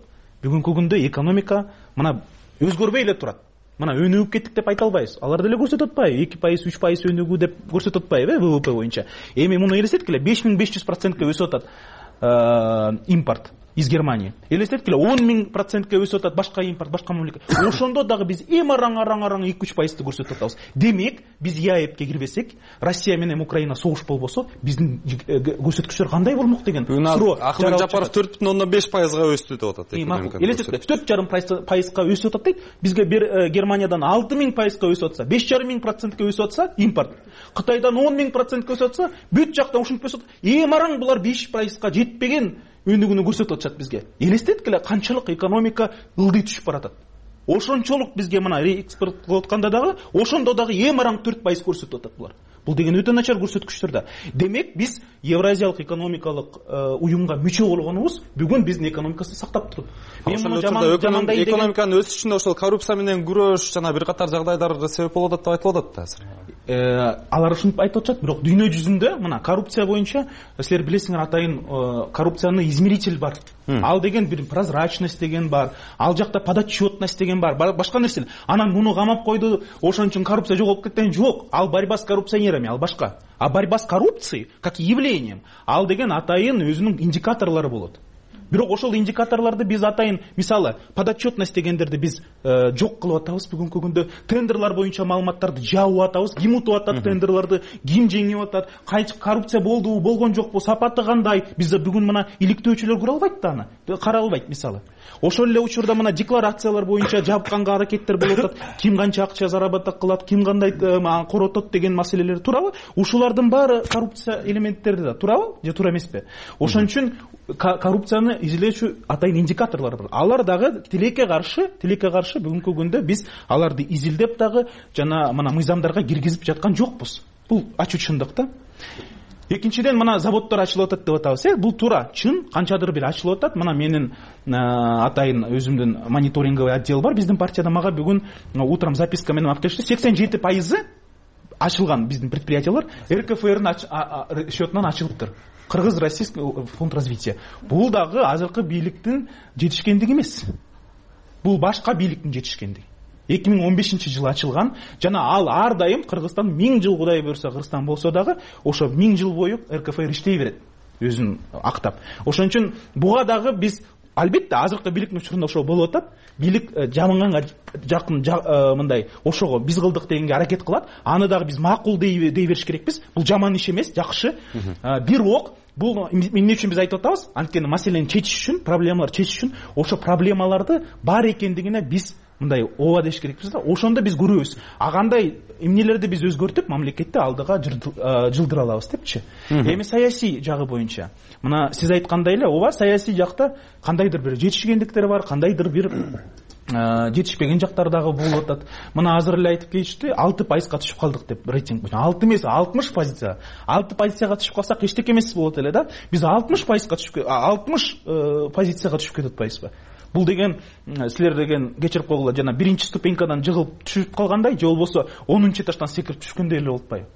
бүгүнкү күндө экономика мына өзгөрбөй эле турат. Мына өнүгүп кеттик деп айта албайбыз. Алар деле көрсөтүп атпайбы? эки пайыз, үч пайыз өнүгүү деп көрсөтүп атпайбы ВВП боюнча? Эми муну элестеткиле, беш миң беш жүз процентке өсүп атат импорт из Германии. Элестеткиле, он миң процентке өсүп атат башка импорт, башка мамлекет. Ошондо дагы биз эм араң араң араң эки үч пайызды көрсөтүп атабыз. Демек, биз ЕАЭПке кирбесек, Россия менен Украина согуш болбосо, биздин көрсөткүчтөр кандай болмок деген суроо. Акылбек Жапаров төрт бүтүн ондон беш пайызга өстү деп атат. Элестеткиле, төрт жарым пайызга өсүп атат дейт. Бизге Германиядан алты миң пайызга өсүп атса, беш жарым миң процентке өсүп атса импорт. Кытайдан он миң процентке өсүп атса, бүт жактан ушинтип өсүп атат. Эм араң булар беш пайызга жетпеген өнүгүүнү көрсөтүп атышат бизге. Элестеткиле, канчалык экономика ылдый түшүп баратат. Ошончолук бизге мына реэкспорт кылып атканда дагы, ошондо дагы эм араң төрт пайыз көрсөтүп атат булар. Бул деген өтө начар көрсөткүчтөр да. Демек, биз Евразиялык экономикалык уюмга мүчө болгонубуз бүгүн биздин экономикасын сактап туруп. Мен муну жамандайм. Экономиканын өсүшүнө ошол коррупция менен күрөш жана бир катар жагдайлар себеп болуп атат деп айтылып атат да азыр. Алар ушинтип айтып атышат, бирок дүйнө жүзүндө мына коррупция боюнча силер билесиңер, атайын коррупциянын измеритель бар. Ал деген бир прозрачность деген бар, ал жакта подотчетность деген бар, башка нерсе. Анан муну камап койду, ошон үчүн коррупция жоголуп кеткен жок. Ал борьба с коррупционерами, ал башка. А борьба с коррупцией как явлением, ал деген атайын өзүнүн индикаторлору болот. Бирок ошол индикаторлорду биз атайын, мисалы, подотчетность дегендерди биз жок кылып атабыз бүгүнкү күндө. Тендерлар боюнча маалыматтарды жабып атабыз, ким утуп атат тендерларды, ким жеңип атат, кайчы коррупция болдубу, болгон жокпу, сапаты кандай? Бизде бүгүн мына иликтөөчүлөр көрө албайт да аны, карай албайт мисалы. Ошол эле учурда мына декларациялар боюнча жабыкканга аракеттер болуп атат, ким канча акча заработок кылат, ким кандай коротот деген маселелер туурабы? Ушулардын баары коррупция элементтери да туурабы же туура эмеспи? Ошон үчүн коррупцияны изилөөчү атайын индикаторлор бар. Алар дагы тилекке каршы, тилекке каршы бүгүнкү күндө биз аларды изилдеп дагы жана мына мыйзамдарга киргизип жаткан жокпуз. Бул ачык чындык да. Экинчиден, мына заводдор ачылып атат деп атабыз. Э, бул туура, чын, канчадыр бир ачылып атат. Мына менин атайын өзүмдүн мониторинговый отдел бар биздин партияда. Мага бүгүн утром записка менен алып келишти. сексен жети пайызы ачылган биздин предприятиялар РКФРнын счетунан ачылыптыр. Кыргыз-Российский фонд развития. Бул дагы азыркы бийликтин жетишкендиги эмес. Бул башка бийликтин жетишкендиги. эки миң он бешинчи жылы ачылган, жана ал ар дайым Кыргызстан миң жыл Кудай буйрса Кыргызстан болсо дагы, ошо миң жыл бою РКФР иштей берет, өзүн актап. Ошон үчүн буга дагы биз албетте азыркы бийликтин учурунда ошол болуп атат. Бийлик жаманганга жакын мындай ошого биз кылдык дегенге аракет кылат. Аны дагы биз макул дей бериш керекпиз. Бул жаман иш эмес, жакшы. Бирок бул эмне үчүн биз айтып атабыз? Анткени маселени чечиш үчүн, проблемаларды чечиш үчүн ошо проблемаларды бар экендигине биз мындай ооба деш керекпиз да. Ошондо биз көрөбүз. А кандай эмнелерди биз өзгөртүп мамлекетти алдыга жылдыра алабыз депчи. Эми саясий жагы боюнча, мына сиз айткандай эле, ооба, саясий жакта кандайдыр бир жетишкендиктер бар, кандайдыр бир жетишпеген жактар дагы болуп атат. Мына азыр эле айтып кетишти, алты пайызга түшүп калдык деп рейтинг боюнча. алты эмес, алтымыш позиция. алты позицияга түшүп калсак эчтеке эмес болот эле да. Биз алтымыш пайызга түшүп, алтымыш позицияга түшүп кетип атпайбызбы? Бул деген силер деген кечирип койгула, жана биринчи ступенькадан жыгылып түшүп калгандай, же болбосо онунчу этаждан секирип түшкөндөй эле болуп атпайбы?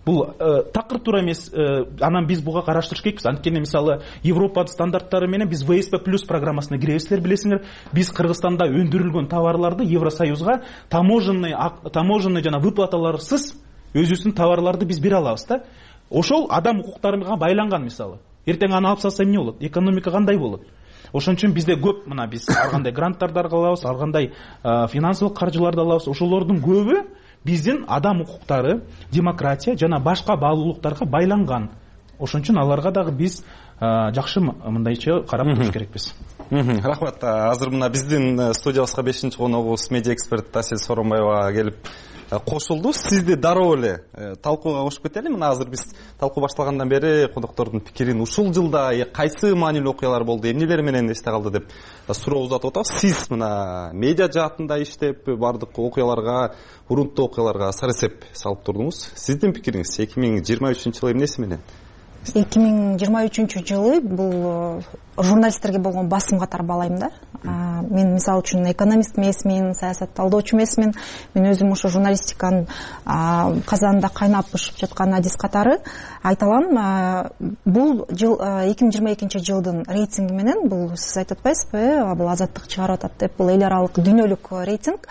Бул такыр туура эмес. Анан биз буга караштырыш керекпиз. Анткени мисалы Европа стандарттары менен биз вэ эс пэ плюс программасына киребиз, силер билесиңер. Биз Кыргызстанда өндүрүлгөн товарларды Евросоюзга таможенный таможенный жана выплаталарсыз өзүбүздүн товарларды биз бере алабыз да. Ошол адам укуктарына байланган мисалы. Эртең аны алып салса эмне болот? Экономика кандай болот? Ошон үчүн бизде көп мына биз ар кандай гранттарды алабыз, ар кандай финансылык каржыларды алабыз. Ошолордун көбү биздин адам укуктары, демократия жана башка баалуулуктарга байланган. Ошон үчүн аларга дагы биз жакшы мындайча карап туруш керекпиз. Рахмат. Азыр мына биздин студиябызга бешинчи коногубуз медиа эксперт Асель Сооронбаева келип кошулду. Сизди дароо эле талкууга кошуп кетели. Мына азыр биз талкуу башталгандан бери коноктордун пикирин ушул жылда кайсы маанилүү окуялар болду, эмнелер менен эсте калды деп суроо узатып атабыз. Сиз мына медиа жаатында иштеп, бардык окуяларга, урунттуу окуяларга сары эсеп салып турдуңуз. Сиздин пикириңиз эки миң жыйырма үчүнчү жылы эмнеси менен? эки миң жыйырма үчүнчү жылы бул журналисттерге болгон басым катары баалайм да. Мен мисалы үчүн экономист эмесмин, саясатталдоочу эмесмин. Мен өзүм ошо журналистиканын казанында кайнап бышып жаткан адис катары айта алам. Бул жыл эки миң жыйырма экинчи жылдын рейтинги менен, бул сиз айтып атпайсызбы, бул Азаттык чыгарып атат деп, бул эл аралык дүйнөлүк рейтинг,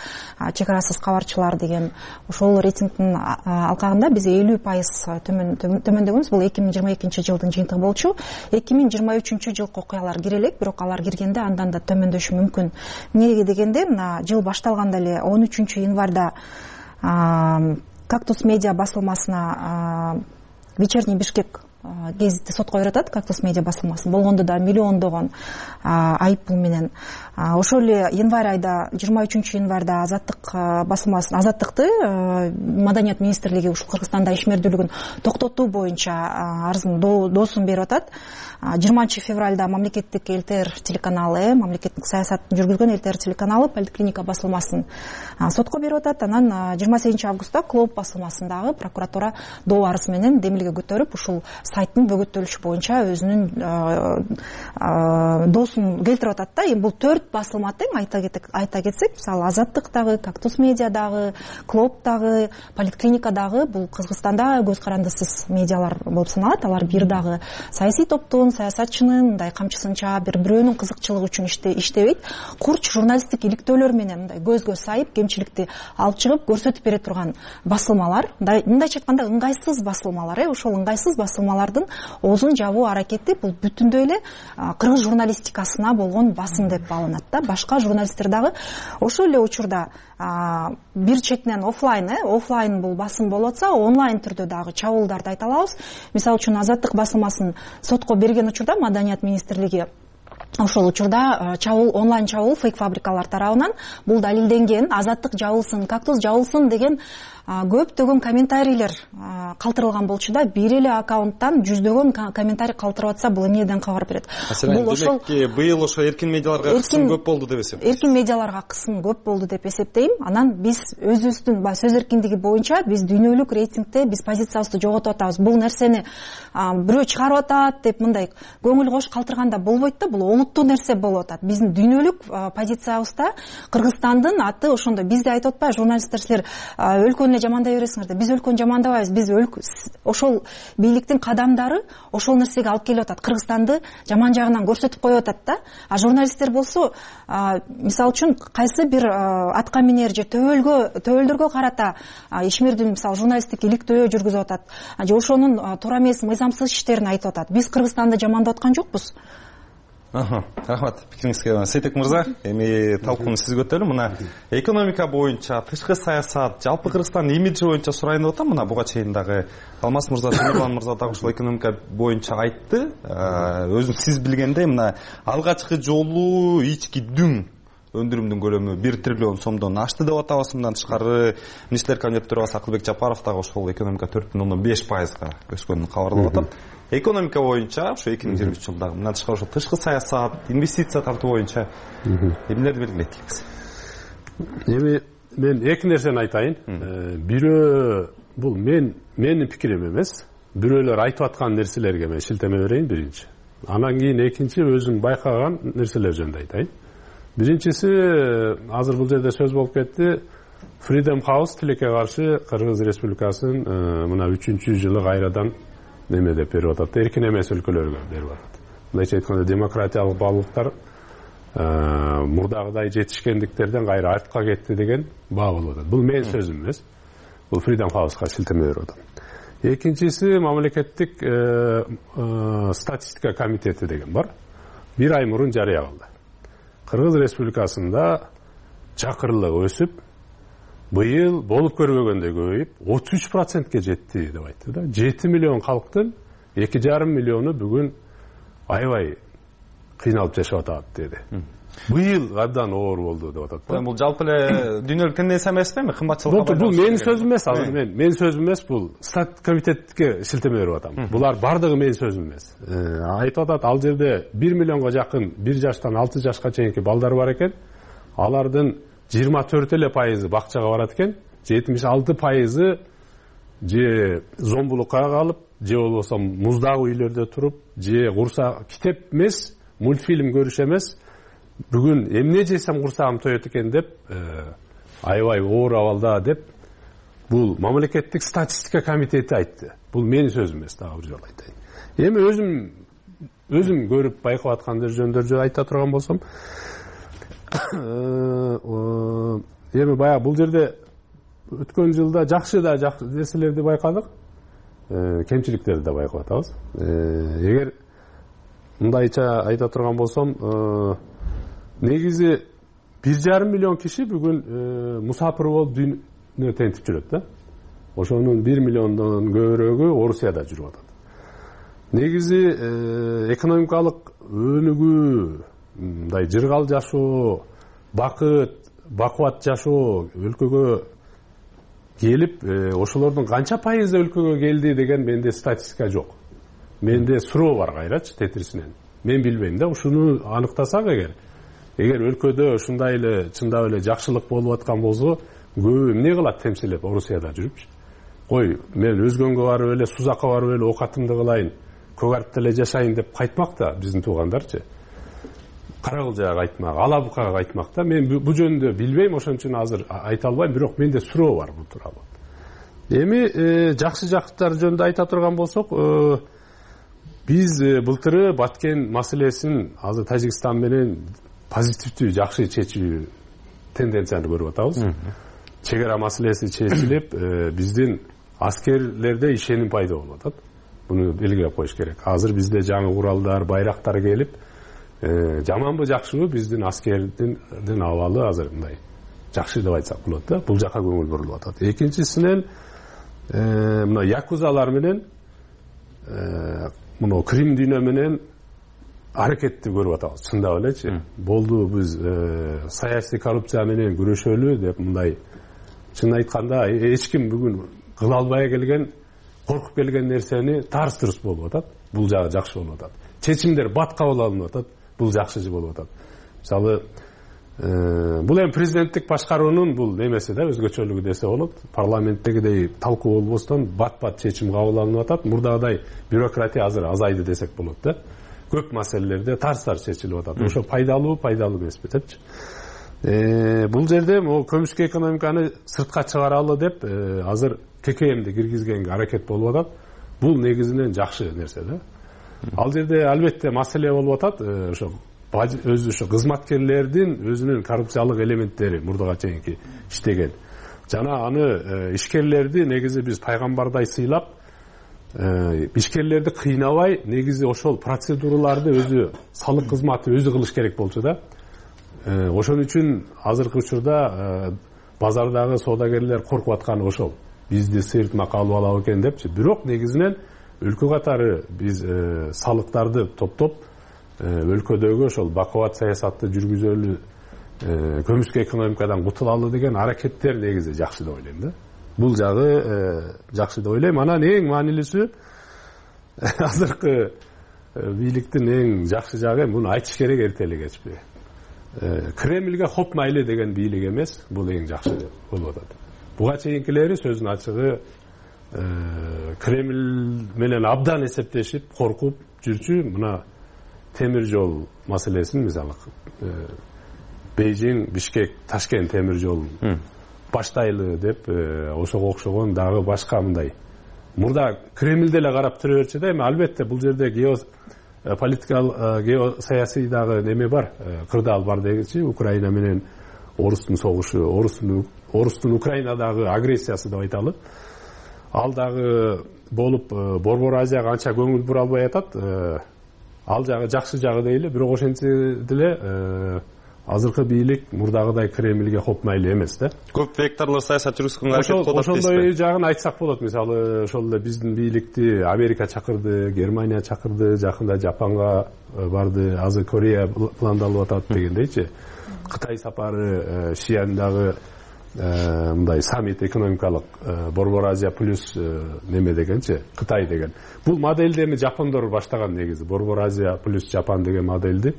чек арасыз кабарчылар деген. Ошол рейтингдин алкагында биз элүү пайыз төмөндөгөнбүз. Бул эки миң жыйырма экинчи жылдын жыйынтыгы болчу. эки миң жыйырма үчүнчү жылкы окуялар кире элек, бирок алар киргенде андан да төмөндөшү мүмкүн. Эмнеге дегенде, мына жыл башталганда эле он үчүнчү январда Кактус медиа басылмасына Вечерний Бишкек гезити сотко берет. Кактус медиа басылмасын болгондо да миллиондогон айып пул менен. Ошол эле январь айда, жыйырма үчүнчү январда Азаттык басылмасын, Азаттыкты Маданият министрлиги ушул Кыргызстанда ишмердүүлүгүн токтотуу боюнча арызын доосун берип атат. жыйырманчы февралда мамлекеттик эл-тэ эр телеканалы, мамлекеттик саясатын жүргүзгөн эл-тэ эр телеканалы Поликлиника басылмасын сотко берип атат. Анан жыйырма сегизинчи августта Клоп басылмасындагы прокуратура доо арыз менен демилге көтөрүп, ушул сайттын бөгөттөлүшү боюнча өзүнүн доосун келтирип атат да. Бул төрт басылма тең, айта кетсек, мисалы Азаттыктагы, Кактус медиадагы, Клоптагы, Поликлиникадагы бул Кыргызстанда көз карандысыз медиалар болуп саналат. Алар бир дагы саясий топтун, саясатчынын мындай камчысынча бир бирөөнүн кызыкчылыгы үчүн иштебейт. Курч журналисттик иликтөөлөр менен мындай көзгө сайып, кемчиликти алып чыгып көрсөтүп бере турган басылмалар. Мындайча айтканда ыңгайсыз басылмалар, э, ошол ыңгайсыз басылмалардын оозун жабуу аракети бул бүтүндөй эле кыргыз журналистикасына болгон басым деп бааланат да. Башка журналисттер дагы ошол эле учурда бир четинен офлайн, э, офлайн бул басым болуп атса, онлайн түрдө дагы чабуулдарды айта алабыз. Мисалы үчүн Азаттык басылмасын сотко берген учурда Маданият министрлиги ошол учурда чабуул, онлайн чабуул фейк фабрикалар тарабынан бул далилденген. Азаттык жабылсын, Кактус жабылсын деген көптөгөн комментарийлер калтырылган болчу да. Бир эле аккаунттан жүздөгөн комментарий калтырып атса, бул эмнеден кабар берет? Бул ошол быйыл ошо эркин медиаларга кысым көп болду деп эсептейм. Эркин медиаларга кысым көп болду деп эсептейм. Анан биз өзүбүздүн сөз эркиндиги боюнча биз дүйнөлүк рейтингде биз позициябызды жоготуп атабыз. Бул нерсени бирөө чыгарып атат деп мындай көңүл кош калтырганда болбойт да. Бул олуттуу нерсе болуп атат. Биздин дүйнөлүк позициябызда Кыргызстандын аты ошондой. Бизде айтып атпайбы журналисттер, силер өлкөнү жамандай бересиңер деп. Биз өлкөнү жамандабайбыз. Биз ошол бийликтин кадамдары ошол нерсеге алып келип атат. Кыргызстанды жаман жагынан көрсөтүп коюп атат да. А журналисттер болсо, мисалы үчүн кайсы бир атка минер же төбөлгө төбөлдөргө карата ишмердүү, мисалы журналисттик иликтөө жүргүзүп атат. Же ошонун туура эмес, мыйзамсыз иштерин айтып атат. Биз Кыргызстанды жамандап аткан жокпуз. Рахмат пикириңизге. Сейтек мырза, эми талкууну сиз көтөрүм. Мына экономика боюнча, тышкы саясат, жалпы Кыргызстандын имиджи боюнча сурайын деп атам. Мына буга чейин дагы Алмаз мырза, Темирлан мырза дагы ушул экономика боюнча айтты. Өзүң сиз билгендей, мына алгачкы жолу ички дүң өндүрүмдүн көлөмү бир триллион сомдон ашты деп атабыз. Мындан тышкары министрлер кабинет төрагасы Акылбек Жапаров дагы ошол экономика төрт бүтүн ондон беш пайызга өскөнүн кабарлап атат. Экономика боюнча ошо эки миң жыйырма үч жылдагы мындан тышкары ошо тышкы саясат, инвестиция тартуу боюнча эмнелерди белгилейт элексиз? Эми мен эки нерсени айтайын. Бирөө бул мен менин пикирим эмес. Бирөөлөр айтып аткан нерселерге мен шилтеме берейин биринчи. Анан кийин экинчи өзүм байкаган нерселер жөнүндө айтайын. Биринчиси, азыр бул жерде сөз болуп кетти. Freedom House тилекке каршы Кыргыз Республикасынын мына үчүнчү жылы кайрадан неме деп берип атат, эркин эмес өлкөлөргө берип атат. Мындайча айтканда демократиялык баалуулуктар мурдагыдай жетишкендиктерден кайра артка кетти деген баа болуп атат. Бул менин сөзүм эмес. Бул Freedom House'га шилтеме берип атам. Экинчиси, мамлекеттик статистика комитети деген бар. Бир ай мурун жарыя кылды. Кыргыз Республикасында чакырлык өсүп, быйыл болуп көрбөгөндөй көбөйүп, отуз үч процентке жетти деп айтты да. жети миллион калктын эки жарым миллиону бүгүн аябай кыйналып жашап атат деди. Быйыл абдан оор болду деп атат. Бул жалпы эле дүйнөлүк тенденция эмеспи? Кымбатчылык. Бул менин сөзүм эмес, азыр мен менин сөзүм эмес, бул стат комитетке шилтеме берип атам. Булар бардыгы менин сөзүм эмес. Айтып атат, ал жерде бир миллионго жакын бир жаштан алты жашка чейинки балдар бар экен. Алардын жыйырма төрт эле пайызы бакчага барат экен, жетимиш алты пайызы же зомбулукка калып, же болбосо муздагы үйлөрдө туруп, же курса китеп эмес, мультфильм көрүш эмес, бүгүн эмне жесем курсагым тоет экен деп, аябай оор абалда деп бул мамлекеттик статистика комитети айтты. Бул менин сөзүм эмес, дагы бир жолу айтайын. Эми өзүм өзүм көрүп байкап аткандар жөндөрдү айта турган болсом, эми баягы бул жерде өткөн жылда жакшы да жакшы нерселерди байкадык, кемчиликтерди да байкап атабыз. Эгер мындайча айта турган болсом, негизи бир жарым миллион киши бүгүн мусапыр болуп дүйнө тентип жүрөт да. Ошонун бир миллиондон көбүрөөгү Орусияда жүрүп атат. Негизи экономикалык өнүгүү, мындай жыргал жашоо, бакыт, бакубат жашоо өлкөгө келип, ошолордун канча пайызы өлкөгө келди деген менде статистика жок. Менде суроо бар кайрачы тетирисинен. Мен билбейм да, ушуну аныктасак эгер, эгер өлкөдө ушундай эле чындап эле жакшылык болуп аткан болсо, көбү эмне кылат темселеп Орусияда жүрүпчү? Кой, мен өзгөнгө барып эле, Сузакка барып эле окатымды кылайын, көк арыкта эле жашайын деп кайтмак да биздин туугандарчы. Карагылжага кайтмак, Алабукага кайтмак да. Мен бул жөнүндө билбейм, ошон үчүн азыр айта албайм, бирок менде суроо бар бул тууралуу. Эми жакшы жактары жөнүндө айта турган болсок, биз былтыры Баткен маселесин азыр Тажикстан менен позитивдүү, жакшы чечүү тенденцияны көрүп атабыз. Чек ара маселеси чечилип, биздин аскерлерде ишеним пайда болуп атат. Буну белгилеп коюш керек. Азыр бизде жаңы куралдар, байрактар келип, жаманбы жакшыбы биздин аскердин абалы азыр мындай жакшы деп айтсак болот да. Бул жака көңүл бурулуп атат. Экинчисинен мына якузалар менен мына Крим дүйнө менен аракетти көрүп атабыз. Чындап элечи. Болду биз саясий коррупция менен күрөшөлү деп мындай чын айтканда эч ким бүгүн кыла албай келген, коркуп келген нерсени тарс турус болуп атат. Бул жагы жакшы болуп атат. Чечимдер бат кабыл алынып атат. Бул жакшы болуп атат. Мисалы, бул эми президенттик башкаруунун бул немеси да, өзгөчөлүгү десе болот. Парламенттегидей талкуу болбостон бат-бат чечим кабыл алынып атат. Мурдагыдай бюрократия азыр азайды десек болот да. Көп маселелерде тарс-тарс чечилип атат. Ошо пайдалуу, пайдалуу эмеспи депчи. Бул жерде могу көмүскө экономиканы сыртка чыгаралы деп азыр ККМди киргизгенге аракет болуп атат. Бул негизинен жакшы нерсе да. Ал жерде албетте маселе болуп атат, ошо өзү ошо кызматкерлердин өзүнүн коррупциялык элементтери мурдага чейинки иштеген. Жана аны ишкерлерди негизи биз пайгамбардай сыйлап, ишкерлерди кыйнабай, негизи ошол процедураларды өзү салык кызматы өзү кылыш керек болчу да. Ошон үчүн азыркы учурда базардагы соодагерлер коркуп атканы ошол. Бизди сыйыртмакка алып алабы экен депчи. Бирок негизинен өлкө катары биз салыктарды топтоп, өлкөдөгү ошол бакубат саясатты жүргүзөлү, көмүскө экономикадан кутулалы деген аракеттер негизи жакшы деп ойлойм да. Бул жагы жакшы деп ойлойм. Анан эң маанилүүсү азыркы бийликтин эң жакшы жагы, муну айтыш керек эртели кечпи. Кремльге хоп майлы деген бийлик эмес, бул эң жакшы болуп атат. Буга чейинкилери сөзүн ачыгы Кремль менен абдан эсептешип, коркуп жүрчү. Мына темир жол маселесин, мисалы, Бейжиң, Бишкек, Ташкент темир жолун баштайлы деп, ошого окшогон дагы башка мындай. Мурда Кремльде эле карап тура берчү да, эми албетте бул жерде геополитикалык, геосаясий дагы неме бар, кырдаал бар дегенчи, Украина менен Орустун согушу, Орустун Орустун Украинадагы агрессиясы деп айталы. Ал дагы болуп, Борбор Азияга анча көңүл бура албай атат. Ал жагы жакшы жагы дейли, бирок ошентсе деле азыркы бийлик мурдагыдай Кремльге хоп майлы эмес да. Көп векторлуу саясат жүргүзгөнгө аракет кылып атат. Ошондой жагын айтсак болот. Мисалы, ошол эле биздин бийликти Америка чакырды, Германия чакырды, жакында Жапонго барды, азыр Корея пландалып атат дегендейчи. Кытай сапары, Шиандагы мындай саммит экономикалык Борбор Азия плюс неме дегенчи, Кытай деген. Бул модельди эми жапондор баштаган негизи. Борбор Азия плюс Жапон деген модельди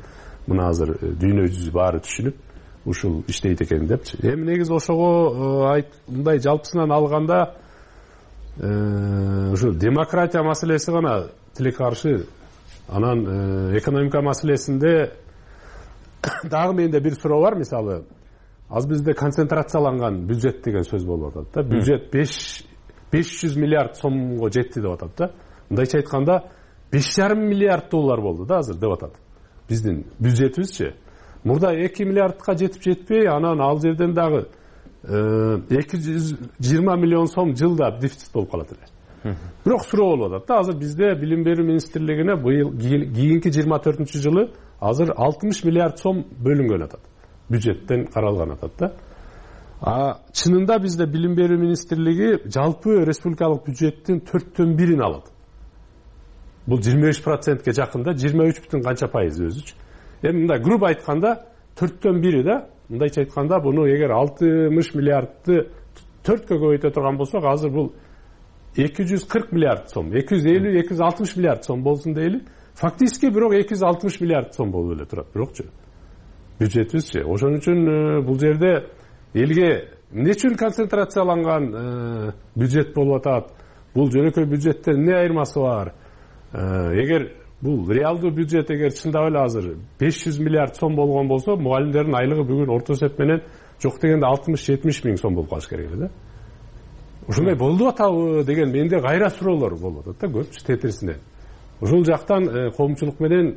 мына азыр дүйнө жүзү баары түшүнүп, ушул иштейт экен депчи. Эми негизи ошого мындай жалпысынан алганда ушу демократия маселеси гана тилекаршы Анан экономика маселесинде дагы менде бир суроо бар. Мисалы, азыр бизде концентрацияланган бюджет деген сөз болуп атат да. Бюджет беш жүз миллиард сомго жетти деп атат да. Мындайча айтканда беш жарым миллиард доллар болду да азыр деп атат. Биздин бюджетибизчи. Мурда эки миллиардка жетип жетпей, анан ал жерден дагы эки жүз жыйырма миллион сом жылда дефицит болуп калат эле. Бирок суроо болуп атат да, азыр бизде билим берүү министрлигине быйыл кийинки жыйырма төртүнчү жылы азыр алтымыш миллиард сом бөлүнгөн атат. Бюджеттен каралган атат да. А чынында бизде билим берүү министрлиги жалпы республикалык бюджеттин төрттөн бирин алат. Бул жыйырма беш процентке жакын да, жыйырма үч бүтүн канча пайыз өзүчү. Эми мындай грубо айтканда төрттөн бири да. Мындайча айтканда буну эгер алтымыш миллиардты төрткө көбөйтө турган болсок, азыр бул эки жүз кырк миллиард сом, эки жүз элүү эки жүз алтымыш миллиард сом болсун дейли. Фактически бирок эки жүз алтымыш миллиард сом болуп эле турат бирокчу. Бюджетибизчи. Ошон үчүн бул жерде элге эмне үчүн концентрацияланган бюджет болуп атат? Бул жөнөкөй бюджеттен эмне айырмасы бар? Эгер бул реалдуу бюджет эгер чындап эле азыр беш жүз миллиард сом болгон болсо, мугалимдердин айлыгы бүгүн орто эсеп менен жок дегенде алтымыш жетимиш миң сом болуп калыш керек эле да. Ушундай болуп атабы деген менде кайра суроолор болуп атат да, көпчү тетирисинен. Ушул жактан коомчулук менен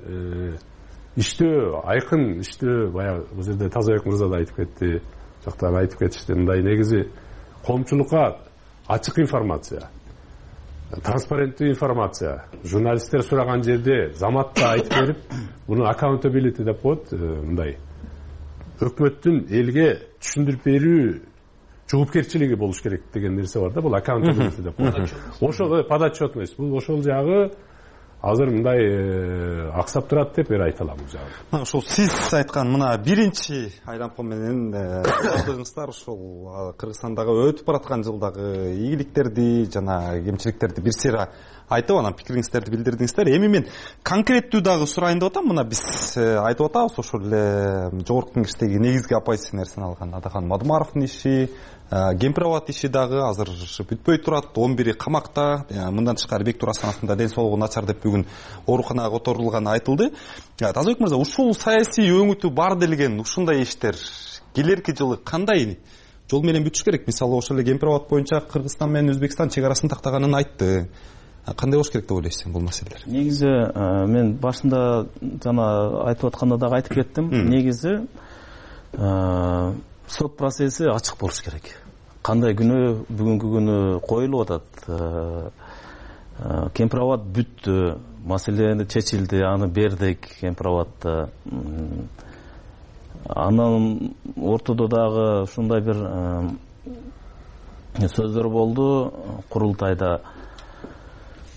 иштөө, айкын иштөө, баягы бул жерде Тазабек мырза да айтып кетти, жактан айтып кетишти. Мындай негизи коомчулукка ачык информация, транспаренттүү информация, журналисттер сураган жерде заматта айтып берип, буну accountability деп коет, мындай өкмөттүн элге түшүндүрүп берүү жоопкерчилиги болуш керек деген нерсе бар да, бул accountability деп коет. Ошол подотчетность, бул ошол жагы азыр мындай аксап турат деп эр айта алам бул жагы. Ошол сиз айткан мына биринчи айлампа менен алдыңыздар ошол Кыргызстандагы өтүп бараткан жылдагы ийгиликтерди жана кемчиликтерди бир сыйра айтып, анан пикириңиздерди билдирдиңиздер. Эми мен конкреттүү дагы сурайын деп атам. Мына биз айтып атабыз ошол эле жогорку кеңештеги негизги оппозиция нерсени алган Адахан Мадумаровдун иши, Кемпирабад иши дагы азыр бүтпөй турат. он бири камакта. Мындан тышкары Бектур Асановдун да ден соолугу начар деп бүгүн ооруканага которулганы айтылды. Тазабек мырза, ушул саясий өңүтү бар делген ушундай иштер келерки жылы кандай жол менен бүтүш керек? Мисалы, ошол эле Кемпирабад боюнча Кыргызстан менен Өзбекстан чек арасын тактаганын айтты. Кандай болуш керек деп ойлойсуз бул маселелер? Негизи мен башында жана айтып атканда дагы айтып кеттим. Негизи сот процесси ачык болуш керек. Кандай күнү бүгүнкү күнү коюлуп атат. Кемпирабад бүттү, маселе чечилди, аны бердик Кемпирабадта. Анан ортодо дагы ушундай бир сөздөр болду курултайда.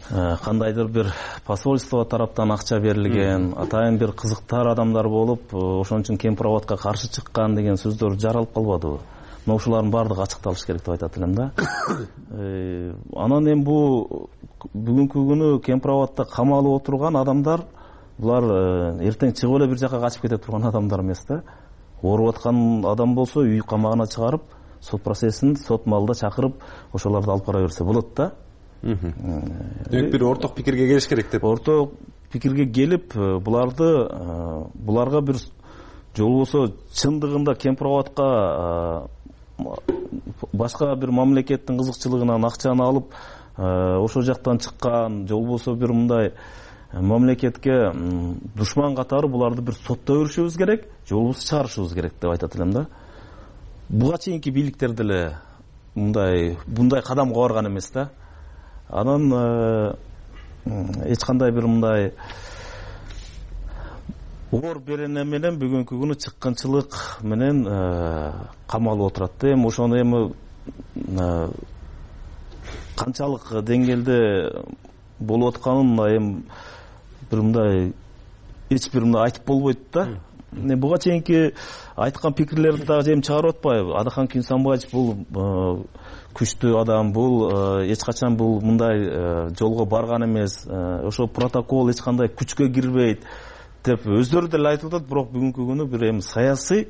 Кандайдыр бир посольство тараптан акча берилген, атайын бир кызыктар адамдар болуп, ошон үчүн Кемпирабадка каршы чыккан деген сөздөр жаралып калбадыбы? Мына ушулардын баардыгы ачыкталыш керек деп айтат элем да. Анан эми бул бүгүнкү күнү Кемпирабадта камалып отурган адамдар, булар эртең чыгып эле бир жака качып кете турган адамдар эмес да. Ооруп аткан адам болсо үй камагына чыгарып, сот процессин сот маалда чакырып, ошолорду алып бара берсе болот да. Демек бир орток пикирге келиш керек деп. Орток пикирге келип, буларды буларга бир жол болсо чындыгында Кемпирабадка башка бир мамлекеттин кызыкчылыгынан акчаны алып, ошол жактан чыккан, жол болсо бир мындай мамлекетке душман катары буларды бир сотто көрүшүбүз керек, жол болсо чыгарышыбыз керек деп айтат элем да. Буга чейинки бийликтер деле мындай мындай кадамга барган эмес да. Анан эч кандай бир мындай оор берене менен бүгүнкү күнү чыккынчылык менен камалып отурат. Эми ошону эми канчалык деңгээлде болуп атканын эми бир мындай эч бир мындай айтып болбойт да. Буга чейинки айткан пикирлерди дагы эми чыгарып атпайбы? Адахан Күйсанбаевич бул күчтүү адам, бул эч качан бул мындай жолго барган эмес, ошо протокол эч кандай күчкө кирбейт деп өздөрү деле айтып атат. Бирок бүгүнкү күнү бир эми саясий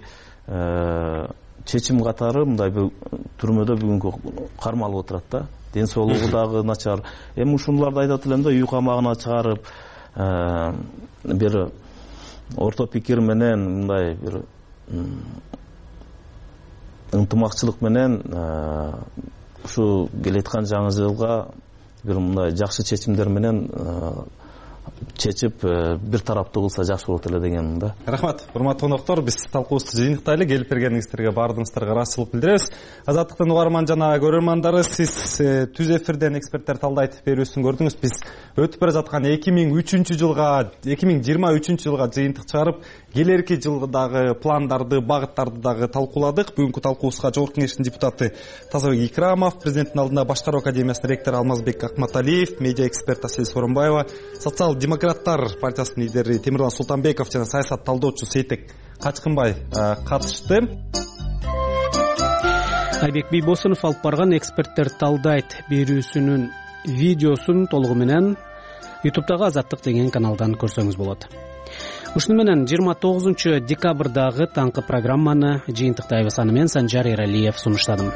чечим катары мындай бир түрмөдө бүгүнкү кармалып отурат да. Ден соолугу дагы начар. Эми ушуларды айтат элем да, үй камагына чыгарып, бир орто пикир менен мындай бир ынтымакчылык менен ушул келаткан жаңы жылга бир мындай жакшы чечимдер менен чечип бир тараптуу кылса жакшы болот эле дегенмин да. Рахмат, урматтуу коноктор, биз талкуубузду жыйынтыктайлы. Келип бергениңиздерге баардыгыңыздарга ыраазычылык билдиребиз. Азаттыктын угарман жана көрөрмандары, сиз түз эфирден эксперттер талдайт берүүсүн көрдүңүз. Биз өтүп бара жаткан эки миң үчүнчү жылга эки миң жыйырма үчүнчү жылга жыйынтык чыгарып, келерки жылдагы пландарды, багыттарды дагы талкууладык. Бүгүнкү талкуубузга Жогорку Кеңештин депутаты Тазабек Икрамов, президенттин алдында Башкаруу академиясынын ректору Алмазбек Акматалиев, медиа эксперт Асель Сооронбаева, социал-демократтар партиясынын лидери Темирлан Султанбеков жана саясат талдоочу Сейтек Качкынбай катышты. Айбек Бийбосунов алып барган эксперттер талдайт берүүсүнүн видеосун толугу менен ютубтагы Азаттык деген каналдан көрсөңүз болот. Ушуну менен жыйырма тогузунчу декабрдагы таңкы программаны жыйынтыктайбыз. Аны мен Санжар Эралиев сунуштадым.